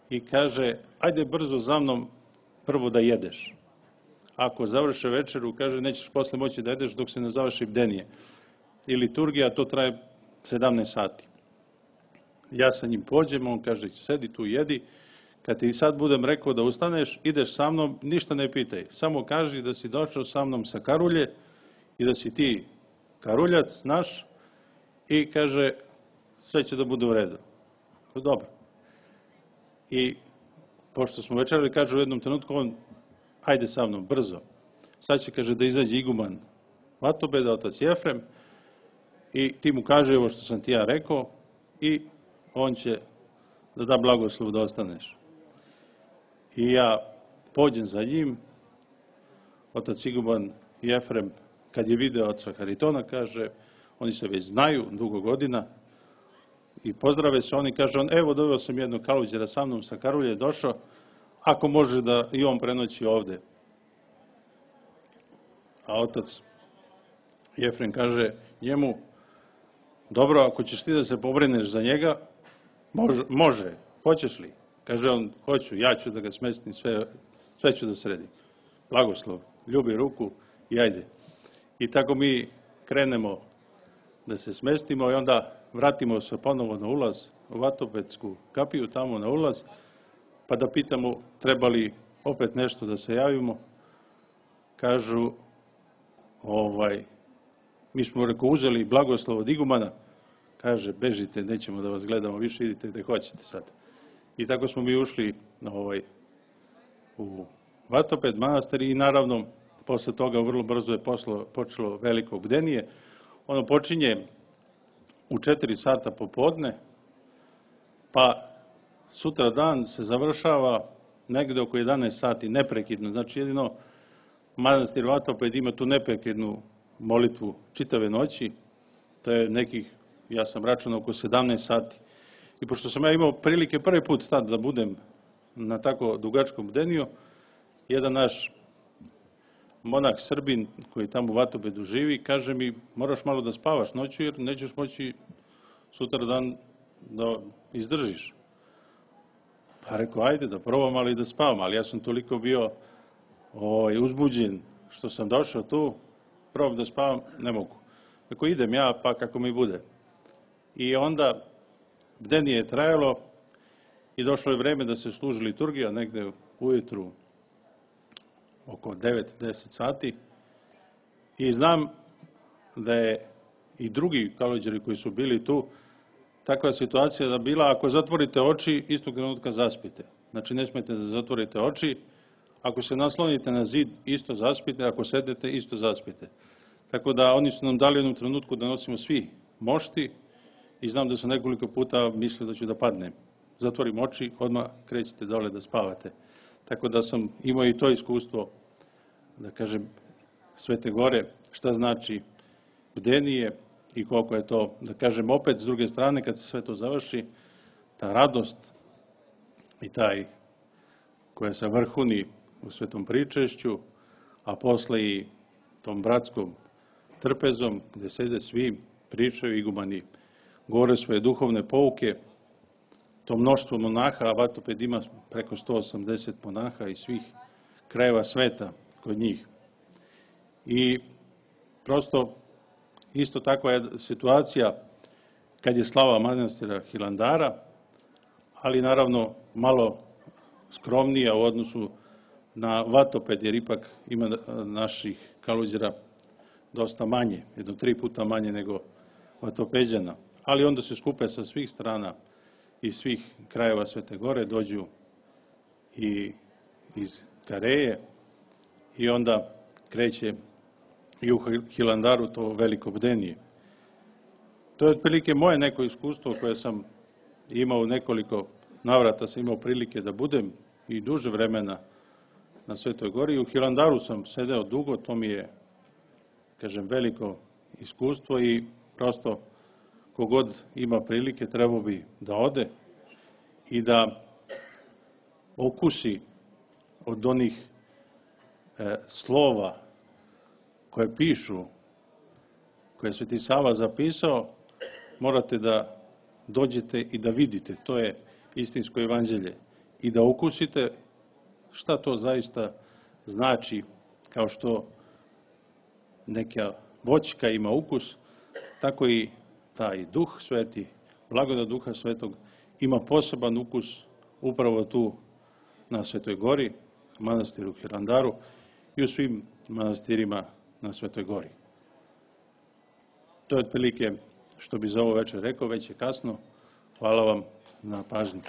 S7: I kaže, ajde brzo za mnom prvo da jedeš. Ako završe večeru, kaže, nećeš posle moći da jedeš dok se ne završi bdenije. I liturgija, to traje 17 sati. Ja sa njim pođem, on kaže, sedi tu, jedi. Kad ti sad budem rekao da ustaneš, ideš sa mnom, ništa ne pitaj. Samo kaži da si došao sa mnom sa Karulje i da si ti Karuljac naš i kaže, sve će da bude u redu. Dobro. I pošto smo večerali, kaže u jednom trenutku on, ajde sa mnom, brzo. Sad će, kaže, da izađe iguman Vatopeda, otac Jefrem, i ti mu kaže ovo što sam ti ja rekao i on će da blagoslov da ostaneš. I ja pođem za njim, otac iguman Jefrem, kad je video oca Haritona, kaže, oni se već znaju dugo godina i pozdrave se, oni kaže, evo doveo sam jednog kaluđera sa mnom sa Karulje, došao, ako može da i on prenoći ovde. A otac Jefrem kaže njemu, dobro, ako ćeš ti da se pobrineš za njega, može, hoćeš li? Kaže on, hoću, ja ću da ga smestim, sve ću da sredim. Blagoslov, ljubi ruku i ajde. I tako mi krenemo da se smestimo i onda vratimo se ponovo na ulaz u Vatopedsku kapiju, tamo na ulaz, pa da pitamo treba li opet nešto da se javimo. Kažu, mi smo, rekao, uzeli blagoslov od igumana, kaže, bežite, nećemo da vas gledamo više, idite gde hoćete sad. I tako smo mi ušli u Vatoped manastir i naravno, posle toga vrlo brzo je počelo veliko bdenije. Ono počinje u 4 sata popodne, pa sutra dan se završava negde oko 11 sati, neprekidno. Znači, jedino manastir Vatoped ima tu neprekidnu molitvu čitave noći, to je nekih, ja sam računao, oko 17 sati. I pošto sam ja imao prilike prvi put tad da budem na tako dugačkom bdeniju, jedan naš monah Srbin koji tamo u Vatopedu živi, kaže mi, moraš malo da spavaš noću jer nećeš moći sutra dan da izdržiš. Pa rekao, ajde da probam, ali da spavam, ali ja sam toliko bio uzbuđen što sam došao tu, probam da spavam, ne mogu. Rekao, idem ja, pa kako mi bude. I onda bdenije je trajalo i došlo je vreme da se služi liturgija negde ujutru oko 9-10 sati i znam da je i drugi kaluđeri koji su bili tu takva situacija da bila, ako zatvorite oči, istog trenutka zaspite. Znači, ne smete da zatvorite oči. Ako se naslonite na zid, isto zaspite. Ako sedete, isto zaspite. Tako da oni su nam dali u jednom trenutku da nosimo svi mošti i znam da sam nekoliko puta mislio da ću da padnem. Zatvorim oči, odmah krećete dole da spavate. Tako da sam imao i to iskustvo, da kažem, Svete Gore, šta znači bdenije i koliko je to, da kažem, opet s druge strane, kad se sve to završi, ta radost i taj koja se vrhuni u svetom pričešću, a posle i tom bratskom trpezom, gde sede svi, pričaju igumani, govore svoje duhovne pouke, to mnoštvo monaha, a Vatoped ima preko 180 monaha iz svih krajeva sveta kod njih. I prosto isto takva je situacija kad je slava manastira Hilandara, ali naravno malo skromnija u odnosu na Vatoped, jer ipak ima naših kaluđera dosta manje, 3 puta manje nego Vatopeđana. Ali onda se skupe sa svih strana iz svih krajeva Svete Gore, dođu i iz Kareje i onda kreće i u Hilandaru to veliko bdenije. To je otprilike moje neko iskustvo koje sam imao u nekoliko navrata, sam imao prilike da budem i duže vremena na Svetoj Gori. U Hilandaru sam sedeo dugo, to mi je, kažem, veliko iskustvo i prosto kogod ima prilike trebao bi da ode i da okusi od onih slova koje pišu, koje je Sveti Sava zapisao, morate da dođete i da vidite, to je istinsko evanđelje, i da ukusite šta to zaista znači, kao što neka voćka ima ukus, tako i taj Duh Sveti, blagodat Duha Svetog, ima poseban ukus upravo tu na Svetoj Gori, manastiru Hilandaru i u svim manastirima na Svetoj Gori. To je otprilike što bi za ovo večer rekao, već je kasno. Hvala vam na pažnji.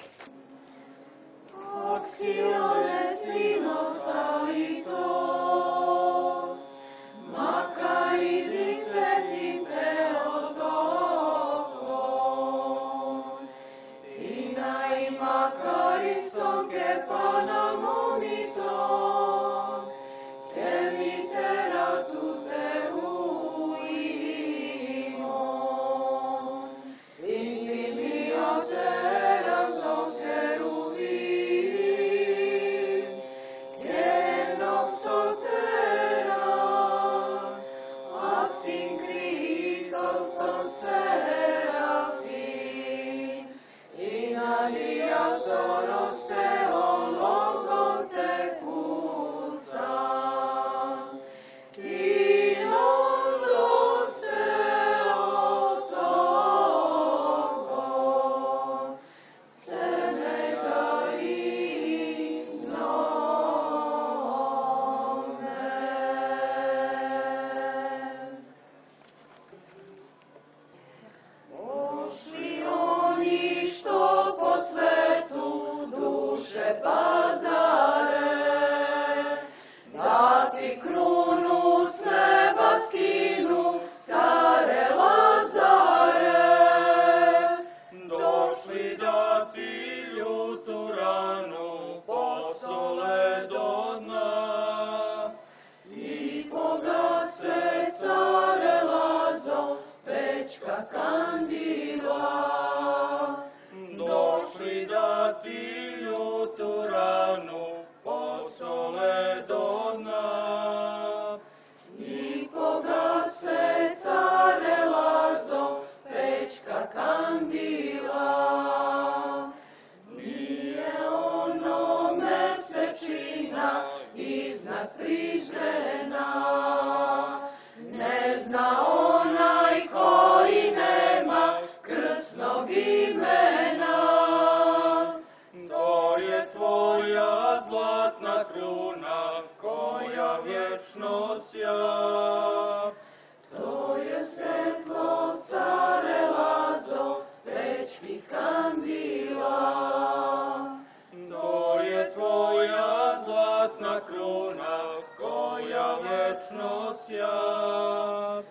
S8: kruna koja večno sja.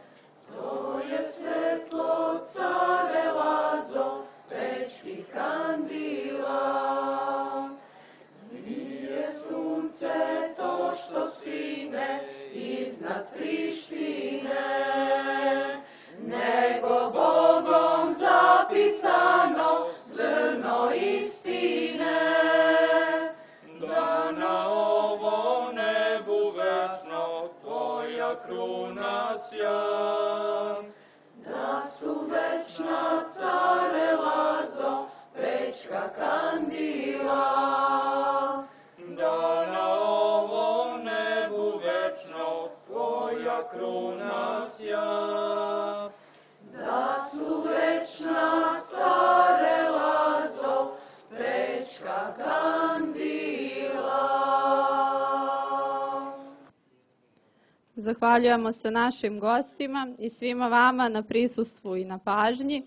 S8: To je svetlo care Lazo, pečki kandila. Nije sunce to što sine iznad Prištine, nego Bogom zapisano zrno istine. Da na ovom nebu večno tvoja kruna sja. Da su večna care Lazo, pečka kandila. Da na ovom nebu večno tvoja kruna sja. Da su večna care Lazo, pečka kandila.
S4: Zahvaljujemo se našim gostima i svima vama na prisustvu i na pažnji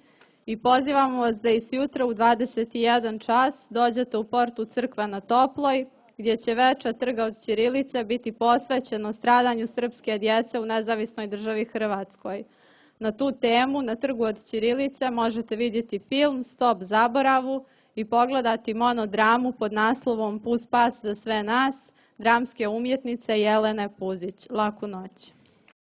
S4: i pozivamo vas da i sutra u 21 čas dođete u portu Crkva na Toploj, gdje će večer Trga od ćirilice biti posvećeno stradanju srpske djece u nezavisnoj državi Hrvatskoj. Na tu temu na Trgu od ćirilice možete vidjeti film Stop zaboravu i pogledati monodramu pod naslovom Pus pas za sve nas, dramske umjetnice Jelene Puzić. Laku noć.